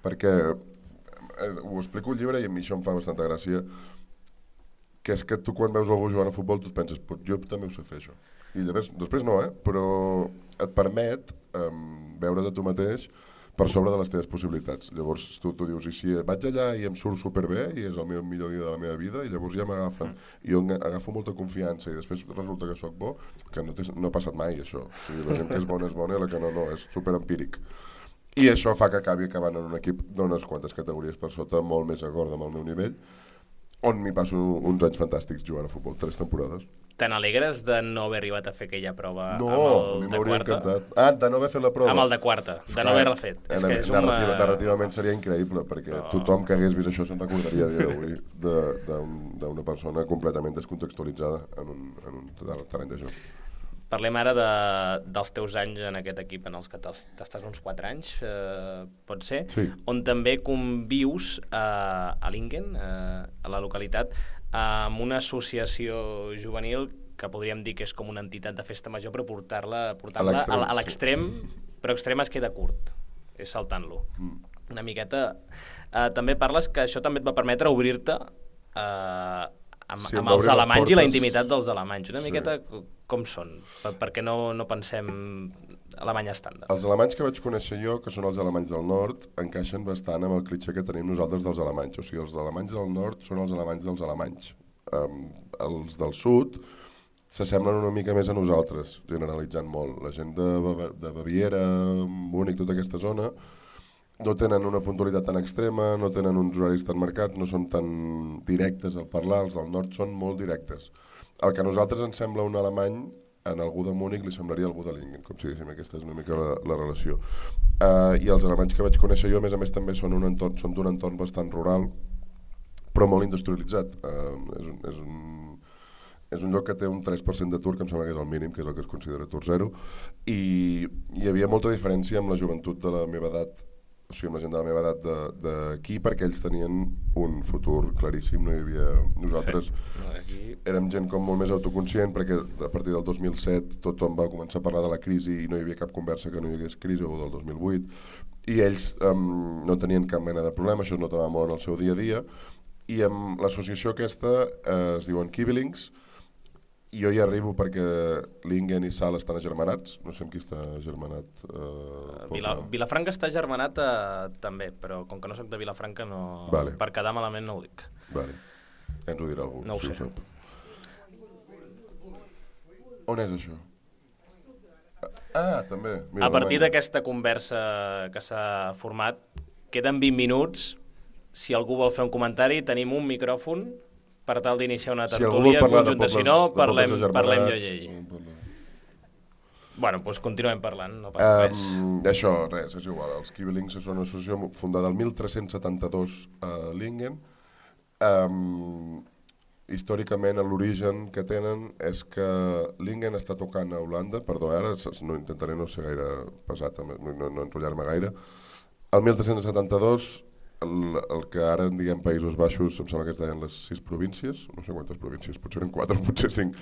perquè ho explico al llibre i a mi això em fa bastanta gràcia, que és que tu quan veus algú jugant a futbol tu et penses, jo també ho sé fer això. I després no, però et permet veure't a tu mateix per sobre de les teves possibilitats. Llavors tu dius, i si vaig allà i em surt superbé i és el meu millor dia de la meva vida, i llavors ja m'agafen. I jo agafo molta confiança i després resulta que sóc bo, que no ha passat mai això. O sigui, la gent que és bona i la que no, és superempíric. I això fa que acabi acabant en un equip d'unes quantes categories per sota, molt més acord amb el meu nivell, on m'hi passo uns anys fantàstics jugant a futbol, 3 temporades. Te n'alegres de no haver arribat a fer aquella prova amb el de quarta? Encantat. De no haver fet la prova. Amb el de quarta, de no haver-la fet. Narrativament seria increïble, perquè tothom que hagués vist això se'n recordaria a dia d'avui d'una persona completament descontextualitzada en un terreny de joc. Parlem ara dels teus anys en aquest equip, en els que t'estàs uns 4 anys, pot ser, sí. On també convius a Lingen, a la localitat, amb una associació juvenil que podríem dir que és com una entitat de festa major, però portar-la a l'extrem, però extrem es queda curt, és saltant-lo. Una miqueta. També parles que això també et va permetre obrir-te amb els alemanys i la intimitat dels alemanys. Una miqueta com són? Perquè no pensem alemany estàndard. Els alemanys que vaig conèixer jo, que són els alemanys del nord, encaixen bastant amb el clitxé que tenim nosaltres dels alemanys. O sigui, els alemanys del nord són els alemanys dels alemanys. Els del sud s'assemblen una mica més a nosaltres, generalitzant molt. La gent de Baviera, Múnich, tota aquesta zona, no tenen una puntualitat tan extrema, no tenen uns horaris tan marcats, no són tan directes al parlar, els del nord són molt directes. El que a nosaltres ens sembla un alemany, en algú de Múnich li semblaria algú de Lingen, com si diguéssim, aquesta és una mica la relació. I els alemanys que vaig conèixer jo, a més també són d'un entorn bastant rural, però molt industrialitzat. És un lloc que té un 3% d'atur, que em sembla que és el mínim, que és el que es considera atur zero, i hi havia molta diferència amb la joventut de la meva edat, o sigui, amb la gent de la meva edat d'aquí, perquè ells tenien un futur claríssim. No hi havia... Nosaltres érem gent com molt més autoconscient, perquè a partir del 2007 tothom va començar a parlar de la crisi i no hi havia cap conversa que no hi hagués crisi, o del 2008, i ells no tenien cap mena de problema, això es notava molt en el seu dia a dia, i amb l'associació aquesta es diuen Kiebelings. Jo hi arribo perquè Lingen i Sal estan agermanats, no sé amb qui està agermanat. Vilafranca està agermanat també, però com que no soc de Vilafranca, no... Vale. Per quedar malament no ho dic. Vale. Ens ho dirà algú. No ho sé. On és això? També. Mira, a partir d'aquesta conversa que s'ha format, queden 20 minuts. Si algú vol fer un comentari, tenim un micròfon per tal d'iniciar una tertúlia conjunta. Si no, parlem jo i ell. Bueno, doncs continuem parlant, no passa res. Això, res, és igual. Els Kiebelings són una associació fundada el 1372 a Lingen. Històricament, l'origen que tenen és que Lingen està tocant a Holanda, perdó, ara intentaré no ser gaire pesat, no enrotllar-me gaire. El 1372, el que ara en diguem Països Baixos, em sembla que es deien les 6 províncies, no sé quantes províncies, potser eren 4, potser 5,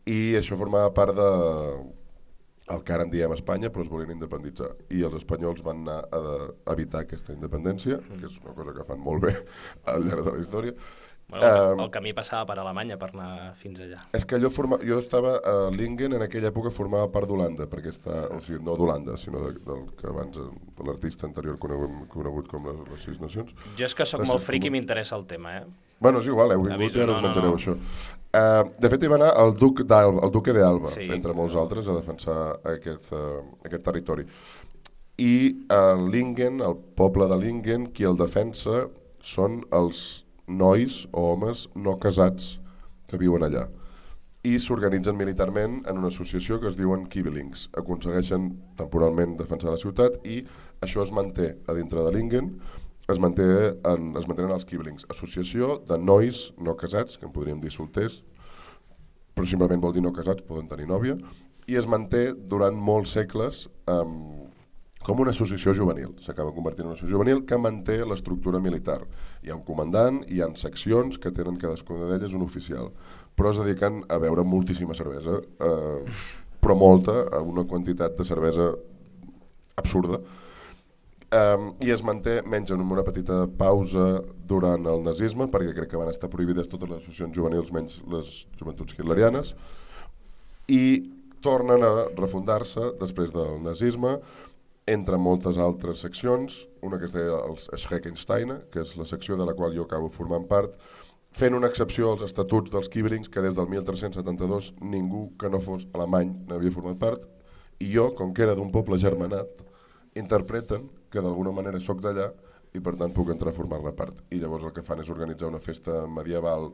i això formava part el que ara en diem Espanya, però es volien independitzar, i els espanyols van anar a evitar aquesta independència, que és una cosa que fan molt bé al llarg de la història. Bueno, el camí passava per Alemanya per anar fins allà. És que jo estava a Lingen, en aquella època formava part d'Holanda, perquè o sigui, no d'Holanda, sinó del que abans l'artista anterior conegut com les 6 nacions. Jo és que sóc molt fric i m'interessa el tema, Bueno, és igual, heu vingut i ara us menjareu això. De fet, hi va anar el duque d'Alba, entre molts altres, a defensar aquest territori. I Lingen, el poble de Lingen, qui el defensa són els nois o homes no casats que viuen allà, i s'organitzen militarment en una associació que es diuen Kiebelings. Aconsegueixen temporalment defensar la ciutat i això es manté a dintre de Lingen, es mantenen els Kiebelings, associació de nois no casats, que en podríem dir solters, però simplement vol dir no casats, poden tenir nòvia, i es manté durant molts segles com una associació juvenil. S'acaba convertint en una associació juvenil que manté l'estructura militar. Hi ha un comandant, hi ha seccions que tenen cadascuna d'elles un oficial, però es dediquen a beure moltíssima cervesa, però molta, una quantitat de cervesa absurda, i es manté, mengen una petita pausa durant el nazisme, perquè crec que van estar prohibides totes les associacions juvenils menys les joventuts hitlerianes, i tornen a refundar-se després del nazisme, entre moltes altres seccions, una que es deia els Schreckensteiner, que és la secció de la qual jo acabo formant part, fent una excepció als estatuts dels Kiebelings, que des del 1372 ningú que no fos alemany n'havia format part, i jo, com que era d'un poble germanat, interpreten que d'alguna manera sóc d'allà i per tant puc entrar a formar-ne part. I llavors el que fan és organitzar una festa medieval,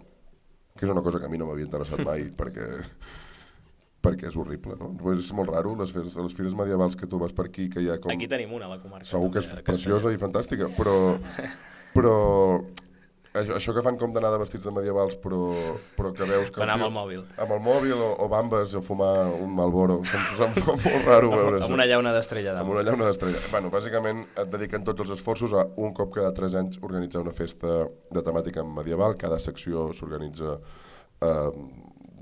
que és una cosa que a mi no m'havia interessat mai, perquè és horrible, no? És molt raro, les fires medievals que tu vas per aquí, que hi ha com... Aquí tenim una, a la comarca. Segur que és preciosa i fantàstica, però això que fan com d'anar de vestits de medievals, però que veus que... Anar amb el mòbil. Amb el mòbil o bambes o fumar un Marlboro, em fa molt raro veure això. Amb una llauna d'estrella. Amb una llauna d'estrella. Bueno, bàsicament et dediquen tots els esforços a un cop cada 3 anys organitzar una festa de temàtica medieval, cada secció s'organitza a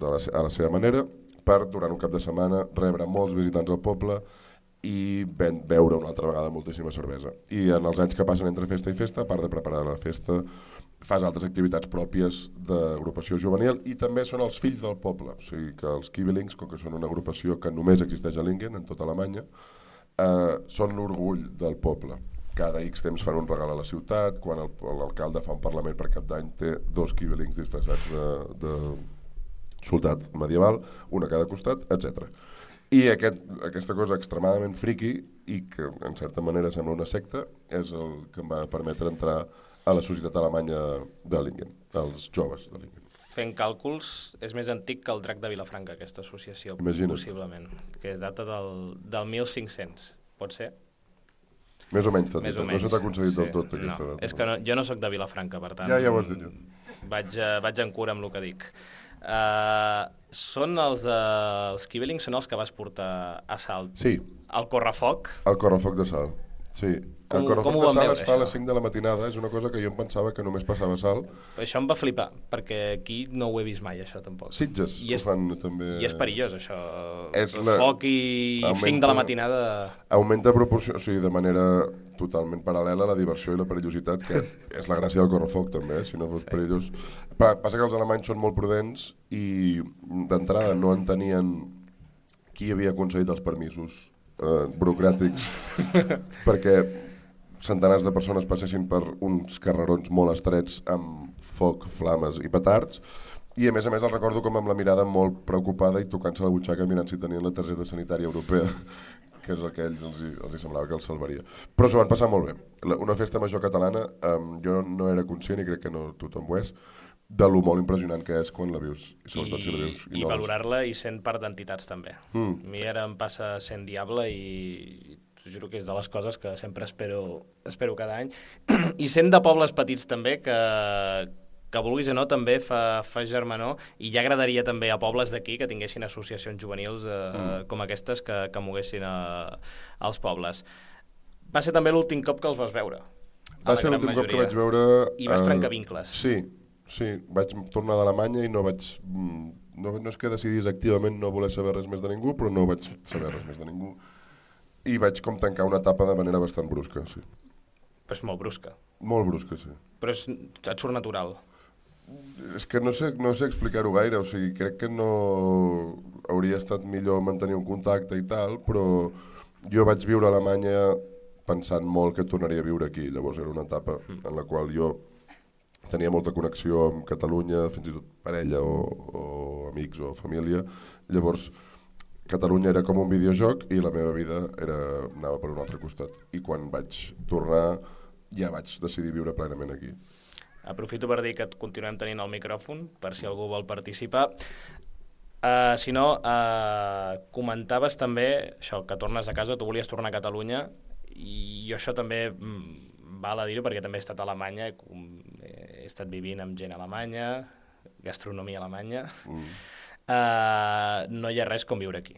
la seva manera, per, durant un cap de setmana, rebre molts visitants al poble i beure una altra vegada moltíssima cervesa. I en els anys que passen entre festa i festa, a part de preparar la festa, fas altres activitats pròpies d'agrupació juvenil i també són els fills del poble, o sigui que els Kiebelings, com que són una agrupació que només existeix a Lingen, en tota Alemanya, són l'orgull del poble. Cada X temps fan un regal a la ciutat, quan l'alcalde fa un parlament per cap d'any té 2 Kiebelings disfressats de soldat medieval, un a cada costat, etc. I aquesta cosa extremadament friqui i que en certa manera sembla una secta és el que em va permetre entrar a la societat alemanya de Lingen, als joves de Lingen. Fent càlculs, és més antic que el Drac de Vilafranca, aquesta associació, Imagina't. possiblement, que data del 1500, pot ser? Més o menys, Més o no menys. se t'ha concedit del Sí. tot aquesta data. És que jo no sóc de Vilafranca, per tant... Ja ho has dit jo. Vaig en cura amb el que dic. Són els Kiebelings són els que vas portar a Salt? Sí, El correfoc? el correfoc de Salt. Sí. Com El correfoc ho de van Salt veure, es fa a les això? 5 de la matinada, és una cosa que jo em pensava que només passava a Salt. Això em va flipar, perquè aquí no ho he vist mai, això, tampoc. Sitges I ho fan també. I és perillós, això. És El foc i 5 de la matinada... Augmenta proporció, o sigui, de manera totalment paral·lela la diversió i la perillositat, que és la gràcia del correfoc també, si no fos perillós. Passa que els alemanys són molt prudents i d'entrada no entenien qui havia concedit els permisos burocràtics perquè centenars de persones passessin per uns carrerons molt estrets amb foc, flames i petards, i a més els recordo com amb la mirada molt preocupada i tocant-se la butxaca mirant si tenien la targeta sanitària europea, que és el que a ells els semblava que els salvaria. Però s'ho van passar molt bé. Una festa major catalana, jo no era conscient, i crec que no tothom ho és, de lo molt impressionant que és quan la vius, i sobretot si la vius. I no valorar-la i sent part d'entitats també. A mi ara em passa sent diable i t'ho juro que és de les coses que sempre espero cada any. I sent de pobles petits també, que vulguis o no també fa germanor, i ja agradaria també a pobles d'aquí que tinguessin associacions juvenils com aquestes que moguessin als pobles. Va ser també l'últim cop que els vas veure. Va ser l'últim cop que vaig veure... I vas trencar vincles. Sí, vaig tornar d'Alemanya i no és que decidís activament no voler saber res més de ningú, però no vaig saber res més de ningú. I vaig com tancar una etapa de manera bastant brusca, sí. Però és molt brusca. Molt brusca, sí. Però et surt natural. És que no sé explicar-ho gaire, o sigui, crec que no hauria estat millor mantenir un contacte i tal, però jo vaig viure a Alemanya pensant molt que tornaria a viure aquí, llavors era una etapa en la qual jo tenia molta connexió amb Catalunya, fins i tot parella o amics o família, llavors Catalunya era com un videojoc i la meva vida anava per un altre costat, i quan vaig tornar ja vaig decidir viure plenament aquí. Aprofito per dir que et continuem tenint el micròfon per si algú vol participar. Si no, comentaves també això, que tornes a casa, tu volies tornar a Catalunya, i això també val a dir-ho perquè també he estat a Alemanya, he estat vivint amb gent alemanya, gastronomia alemanya. No hi ha res com viure aquí,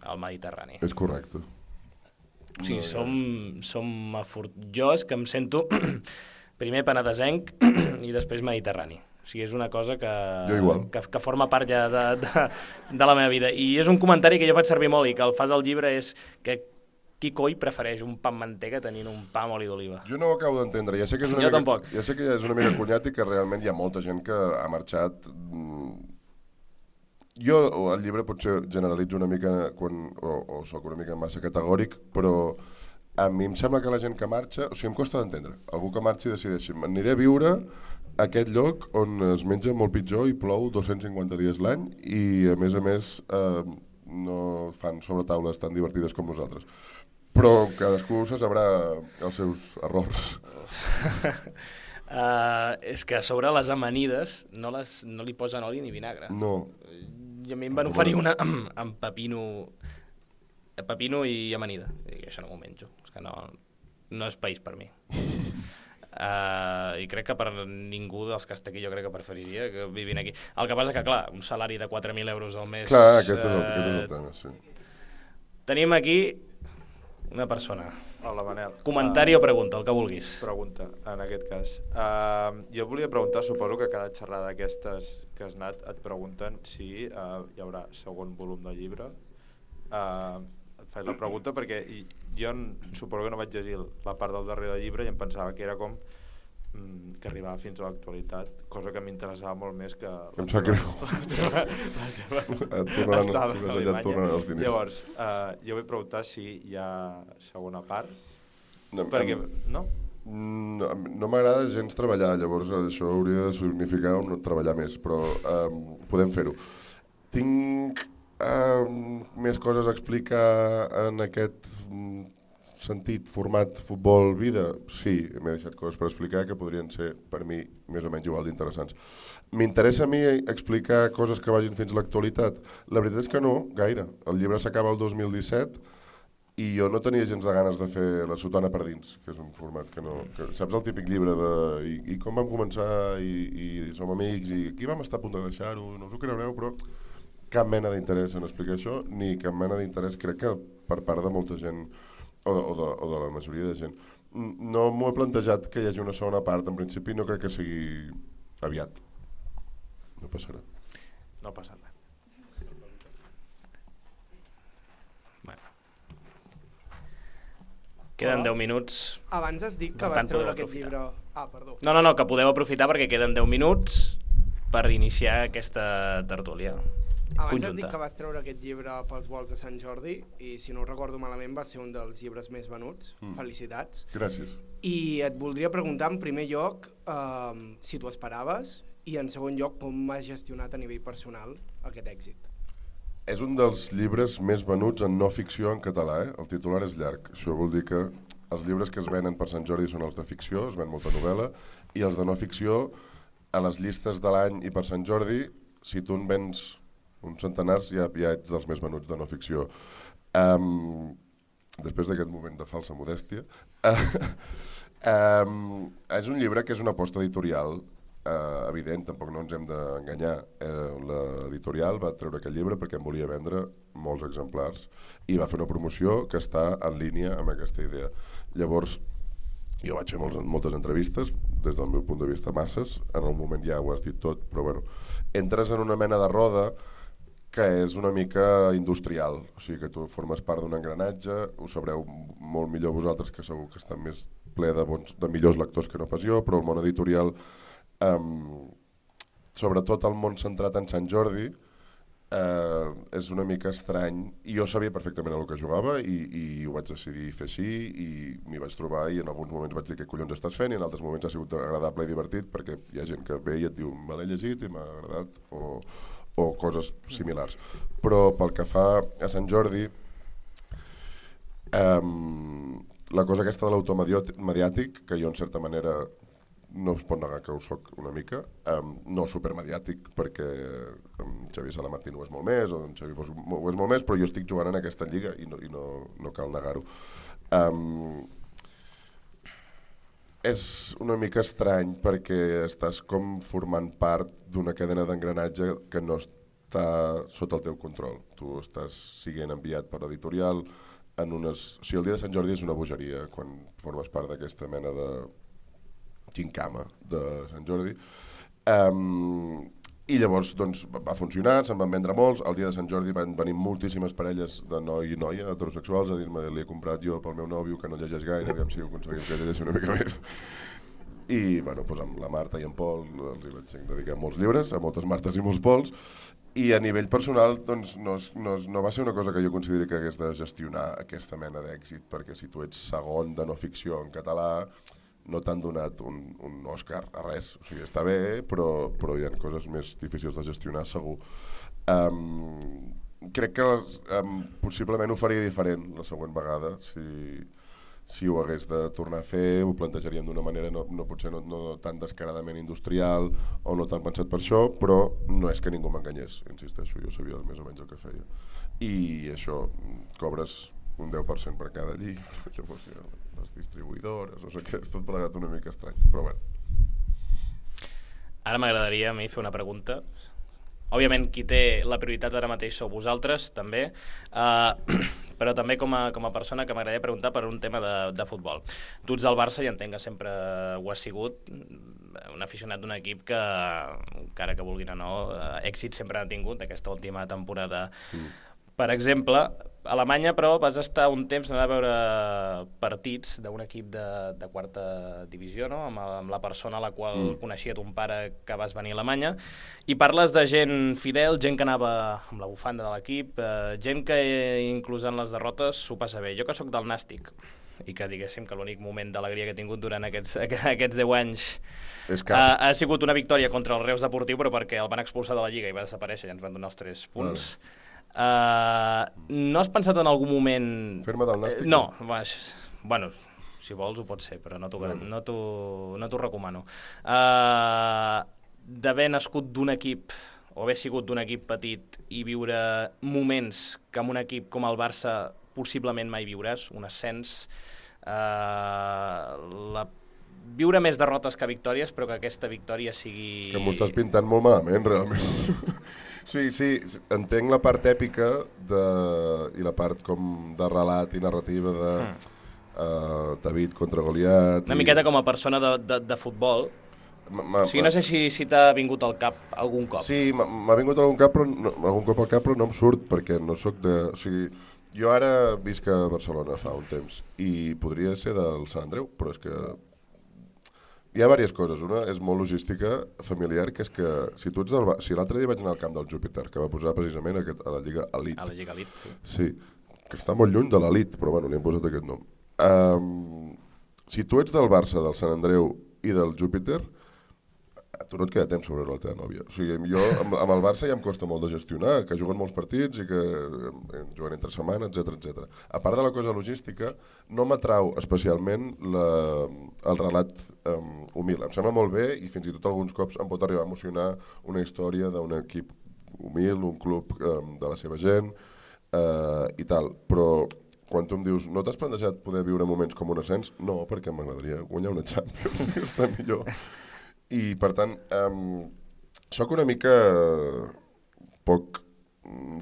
al Mediterrani. És correcte. Sí, jo és que em sento primer penedesenc i després mediterrani. O sigui, és una cosa que forma part ja de la meva vida. I és un comentari que jo faig servir molt i que el fas al llibre, és que qui coi prefereix un pa amb mantega tenint un pa amb oli d'oliva? Jo no ho acabo d'entendre. Ja sé que és una mica cunyat i que realment hi ha molta gent que ha marxat. Jo al llibre potser generalitzo una mica o soc una mica massa categòric, però a mi em sembla que la gent que marxa, o sigui, em costa d'entendre. Algú que marxi i decideixi, m'aniré a viure a aquest lloc on es menja molt pitjor i plou 250 dies l'any i a més no fan sobretaules tan divertides com nosaltres. Però cadascú se sabrà els seus errors. És que a sobre les amanides no li posen oli ni vinagre. No. I a mi em van oferir una amb pepino i amanida. I això no m'ho menjo. És que no és país per mi. I crec que per ningú dels que està aquí jo crec que preferiria que vivin aquí. El que passa que, clar, un salari de 4.000 euros al mes... Clar, aquest és el tema, sí. Tenim aquí una persona. Hola, Manel. Comentari o pregunta, el que vulguis. Pregunta, en aquest cas. Jo volia preguntar, suposo que cada xerrada d'aquestes que has anat et pregunten si hi haurà segon volum del llibre. Et faig la pregunta perquè jo suposo que no vaig llegir la part del darrere del llibre i em pensava que era com que arribava fins a l'actualitat, cosa que m'interessava molt més que... Em sap greu. Et tornaran els diners. Llavors, jo vull preguntar si hi ha segona part, No, perquè... No? No m'agrada gens treballar, llavors això hauria de significar treballar més, però podem fer-ho. Tinc més coses a explicar en aquest sentit, format, futbol, vida? Sí, m'he deixat coses per explicar que podrien ser, per mi, més o menys igual d'interessants. M'interessa a mi explicar coses que vagin fins a l'actualitat? La veritat és que no, gaire. El llibre s'acaba el 2017 i jo no tenia gens de ganes de fer La sotana per dins, que és un format que no... Que, saps el típic llibre de... I com vam començar, i som amics, i aquí vam estar a punt de deixar-ho, no us ho creureu, però cap mena d'interès en explicar això, ni cap mena d'interès, crec que per part de molta gent, o de la majoria de gent. No m'ho he plantejat que hi hagi una segona part, en principi no crec que sigui aviat. No passarà. No passa res. Queden 10 minuts. Abans has dit que vas treure aquest llibre... Perdó. No, que podeu aprofitar perquè queden 10 minuts per iniciar aquesta tertúlia Abans conjunta. has dit que vas treure aquest llibre pels vols de Sant Jordi i, si no ho recordo malament, va ser un dels llibres més venuts. Felicitats. Gràcies. I et voldria preguntar, en primer lloc, si t'ho esperaves, i en segon lloc, com has gestionat a nivell personal aquest èxit. És un dels llibres més venuts en no ficció en català, eh? El titular és llarg. Això vol dir que els llibres que es venen per Sant Jordi són els de ficció, es ven molta novel·la, i els de no ficció, a les llistes de l'any i per Sant Jordi, si tu en vens uns centenars, ja ets dels més venuts de no ficció. Després d'aquest moment de falsa modèstia, és un llibre que és una aposta editorial evident, tampoc no ens hem d'enganyar. L'editorial va treure aquest llibre perquè en volia vendre molts exemplars i va fer una promoció que està en línia amb aquesta idea. Llavors, jo vaig fer moltes entrevistes, des del meu punt de vista masses, en el moment ja ho has dit tot, però bueno, entres en una mena de roda que és una mica industrial, o sigui que tu formes part d'un engranatge, ho sabreu molt millor vosaltres, que segur que està més ple de millors lectors que no pas jo, però el món editorial, sobretot el món centrat en Sant Jordi, és una mica estrany, i jo sabia perfectament el que jugava i ho vaig decidir fer així i m'hi vaig trobar i en alguns moments vaig dir què collons estàs fent i en altres moments ha sigut agradable i divertit perquè hi ha gent que ve i et diu me l'he llegit i m'ha agradat o coses similars. Però pel que fa a Sant Jordi, la cosa aquesta de l'automediàtic, que jo en certa manera no es pot negar que ho soc una mica, no supermediàtic perquè Xavier Salamartín ho és molt més o en Xavi Bosch ho és molt més, però jo estic jugant en aquesta lliga i no cal negar-ho. És una mica estrany perquè estàs com formant part d'una cadena d'engranatge que no està sota el teu control. Tu estàs siguent enviat per l'editorial en unes... O sigui, el dia de Sant Jordi és una bogeria quan formes part d'aquesta mena de gincama de Sant Jordi. I llavors doncs, va funcionar, se'n van vendre molts. El dia de Sant Jordi van venir moltíssimes parelles de noi i noia heterosexuals a dir-me l'he comprat jo pel meu nòvio que no llegeix gaire, aviam si ho aconseguim que llegeixi una mica més. I bueno, doncs amb la Marta i en Pol els hi vaig dedicar molts llibres, a moltes Martes i molts Pols, i a nivell personal doncs, no va ser una cosa que jo consideri que hagués de gestionar aquesta mena d'èxit, perquè si tu ets segon de no ficció en català no t'han donat un Òscar a res, o sigui, està bé, però hi ha coses més difícils de gestionar segur. Crec que possiblement ho faria diferent la següent vegada, si ho hagués de tornar a fer, ho plantejaríem d'una manera potser no tan descaradament industrial o no tan pensat per això, però no és que ningú m'enganyés, insisteixo, jo sabia més o menys el que feia. I això, cobres un 10% per cada llibre, llavors les distribuïdores, no sé què, és tot plegat una mica estrany, però bueno. Ara m'agradaria a mi fer una pregunta. Òbviament qui té la prioritat ara mateix sou vosaltres, també, però també com a persona que m'agradaria preguntar per un tema de futbol. Tu ets del Barça i entenc que sempre ho has sigut, un aficionat d'un equip que, encara que vulguin o no, èxit sempre han tingut aquesta última temporada. Per exemple, a Alemanya, però vas estar un temps anant a veure partits d'un equip de quarta divisió, no? Amb la persona a la qual coneixia ton pare que vas venir a Alemanya, i parles de gent fidel, gent que anava amb la bufanda de l'equip, gent que inclús en les derrotes s'ho passa bé. Jo que sóc del Nàstic, i que diguéssim que l'únic moment d'alegria que he tingut durant aquests 10 anys ha sigut una victòria contra el Reus Deportiu, però perquè el van expulsar de la Lliga i va desaparèixer i ens van donar els 3 punts. No has pensat en algun moment... Fer-me del Nàstic? No, bueno, si vols ho pot ser, però no t'ho recomano. D'haver nascut d'un equip o haver sigut d'un equip petit i viure moments que amb un equip com el Barça possiblement mai viuràs, un ascens, viure més derrotes que victòries, però que aquesta victòria sigui... Que m'ho estàs pintant molt malament, realment. Sí, entenc la part èpica i la part com de relat i narrativa de David contra Goliat... Una miqueta com a persona de futbol. O sigui, no sé si t'ha vingut al cap algun cop. Sí, m'ha vingut algun cop al cap, però no em surt, perquè no sóc de... O sigui, jo ara visc a Barcelona fa un temps i podria ser del Sant Andreu, però és que hi ha diverses coses. Una és molt logística familiar, que és que si l'altre dia vaig anar al camp del Júpiter, que va posar precisament a la Lliga Elite. A la Lliga Elite, sí. Sí, que està molt lluny de l'Elite, però bueno, li hem posat aquest nom. Si tu ets del Barça, del Sant Andreu i del Júpiter, a tu no et queda temps sobre la teva nòvia. O sigui, jo amb el Barça ja em costa molt de gestionar, que juguen molts partits i que juguen entre setmana, etc. A part de la cosa logística, no m'atrau especialment el relat humil. Em sembla molt bé i fins i tot alguns cops em pot arribar a emocionar una història d'un equip humil, un club de la seva gent i tal. Però quan tu em dius, no t'has plantejat poder viure moments com un ascens? No, perquè m'agradaria guanyar una Champions, que està millor. I, per tant, soc una mica poc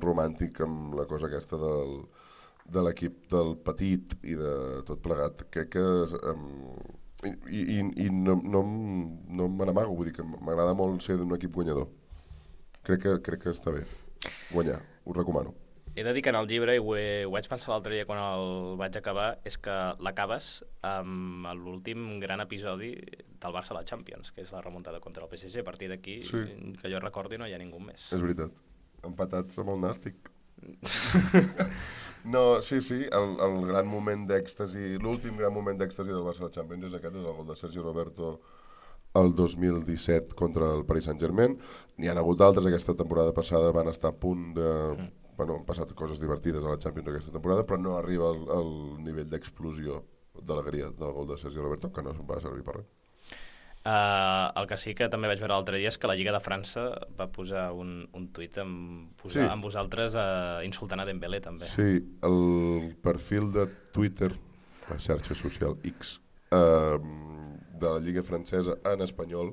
romàntic amb la cosa aquesta de l'equip del petit i de tot plegat. Crec que... I no me n'amago, vull dir que m'agrada molt ser d'un equip guanyador. Crec que està bé guanyar, ho recomano. He de dir que en el llibre, i ho vaig pensar l'altre dia quan el vaig acabar, és que l'acabes amb l'últim gran episodi del Barça a la Champions, que és la remuntada contra el PSG. A partir d'aquí, sí, que jo recordi, no hi ha ningú més. És veritat. Empatats amb el Nàstic. No, sí, el gran moment d'èxtasi, l'últim gran moment d'èxtasi del Barça a la Champions és aquest, és el gol de Sergi Roberto el 2017 contra el Paris Saint-Germain. N'hi ha hagut d'altres, aquesta temporada passada van estar a punt de... Bueno, han passat coses divertides a la Champions aquesta temporada, però no arriba al nivell d'explosió d'alegria del gol de Sergi Roberto, que no va servir per res. El que sí que també vaig veure l'altre dia és que la Lliga de França va posar un tuit amb vosaltres insultant a Dembélé, també. Sí, el perfil de Twitter, la xarxa social X, de la Lliga francesa en espanyol,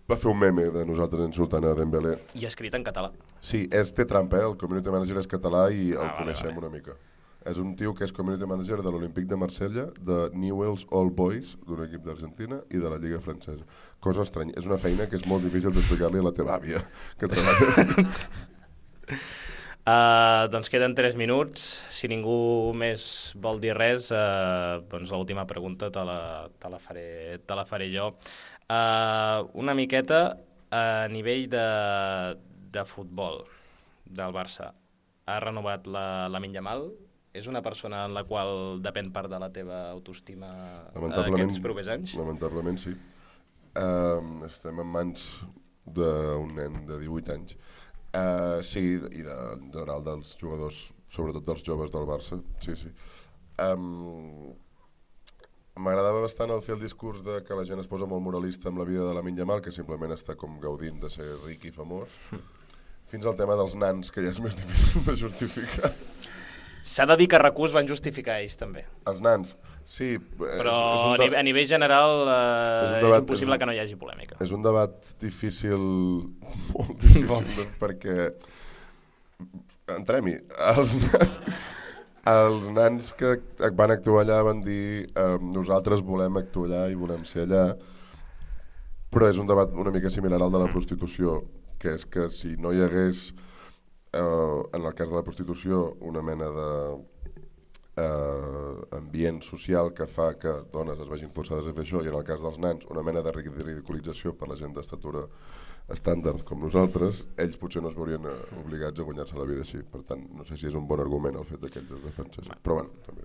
va fer un meme de nosaltres insultant a Dembélé. I escrit en català. Sí, té trampa, el community manager és català i el coneixem una mica. És un tio que és community manager de l'Olímpic de Marsella, de Newell's Old Boys, d'un equip d'Argentina, i de la Lliga francesa. Cosa estranya. És una feina que és molt difícil d'explicar-li a la teva àvia, que treballa. Doncs queden 3 minuts. Si ningú més vol dir res, doncs l'última pregunta te la faré jo. Una miqueta a nivell de futbol del Barça. Ha renovat Lamine Yamal? És una persona en la qual depèn part de la teva autoestima aquests propers anys? Lamentablement sí. Estem en mans d'un nen de 18 anys. Sí, i en general dels jugadors, sobretot dels joves del Barça. Sí. M'agradava bastant el fer el discurs de que la gent es posa molt moralista amb la vida de Lamine Yamal, que simplement està com gaudint de ser ric i famós, fins al tema dels nans, que ja és més difícil de justificar. S'ha de dir que a RAC1 van justificar ells també. Els nans, sí. Però a nivell general és impossible que no hi hagi polèmica. És un debat difícil, molt difícil, perquè entrem-hi. Els nans que van actuar allà van dir nosaltres volem actuar allà i volem ser allà, però és un debat una mica similar al de la prostitució, que és que si no hi hagués en el cas de la prostitució, una mena de ambient social que fa que dones es vegin forçades a fer això, i en el cas dels nans una mena de ridiculització per la gent d'estatura estàndard com nosaltres, ells potser no es veurien obligats a guanyar-se la vida així. Per tant, no sé si és un bon argument el fet que ells es defensessin. Però bueno, també...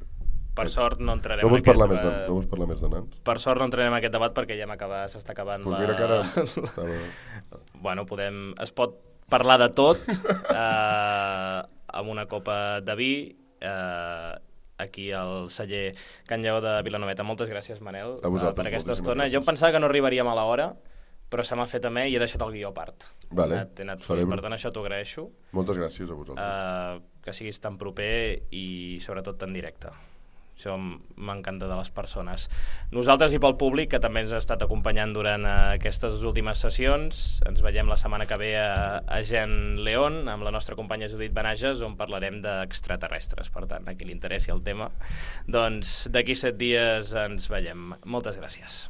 Per sort no entrarem no vols en aquest parlar debat. No vols parlar més de nans? Per sort no entrarem en aquest debat perquè ja s'està acabant Doncs mira que ara estava... Bueno, es pot parlar de tot amb una copa de vi aquí al celler Can Lleó de Vilanoveta. Moltes gràcies, Manel, per aquesta estona. Jo em pensava que no arribaríem a l'hora, però se m'ha fet a me i he deixat el guió a part. Vale, per tant, això t'ho agraeixo. Moltes gràcies a vosaltres. Que siguis tan proper i sobretot tan directe. Això m'encanta de les persones. Nosaltres i pel públic, que també ens ha estat acompanyant durant aquestes últimes sessions, ens veiem la setmana que ve a Gen León amb la nostra companya Judit Benages, on parlarem d'extraterrestres. Per tant, a qui li interessi el tema, doncs d'aquí 7 dies ens veiem. Moltes gràcies.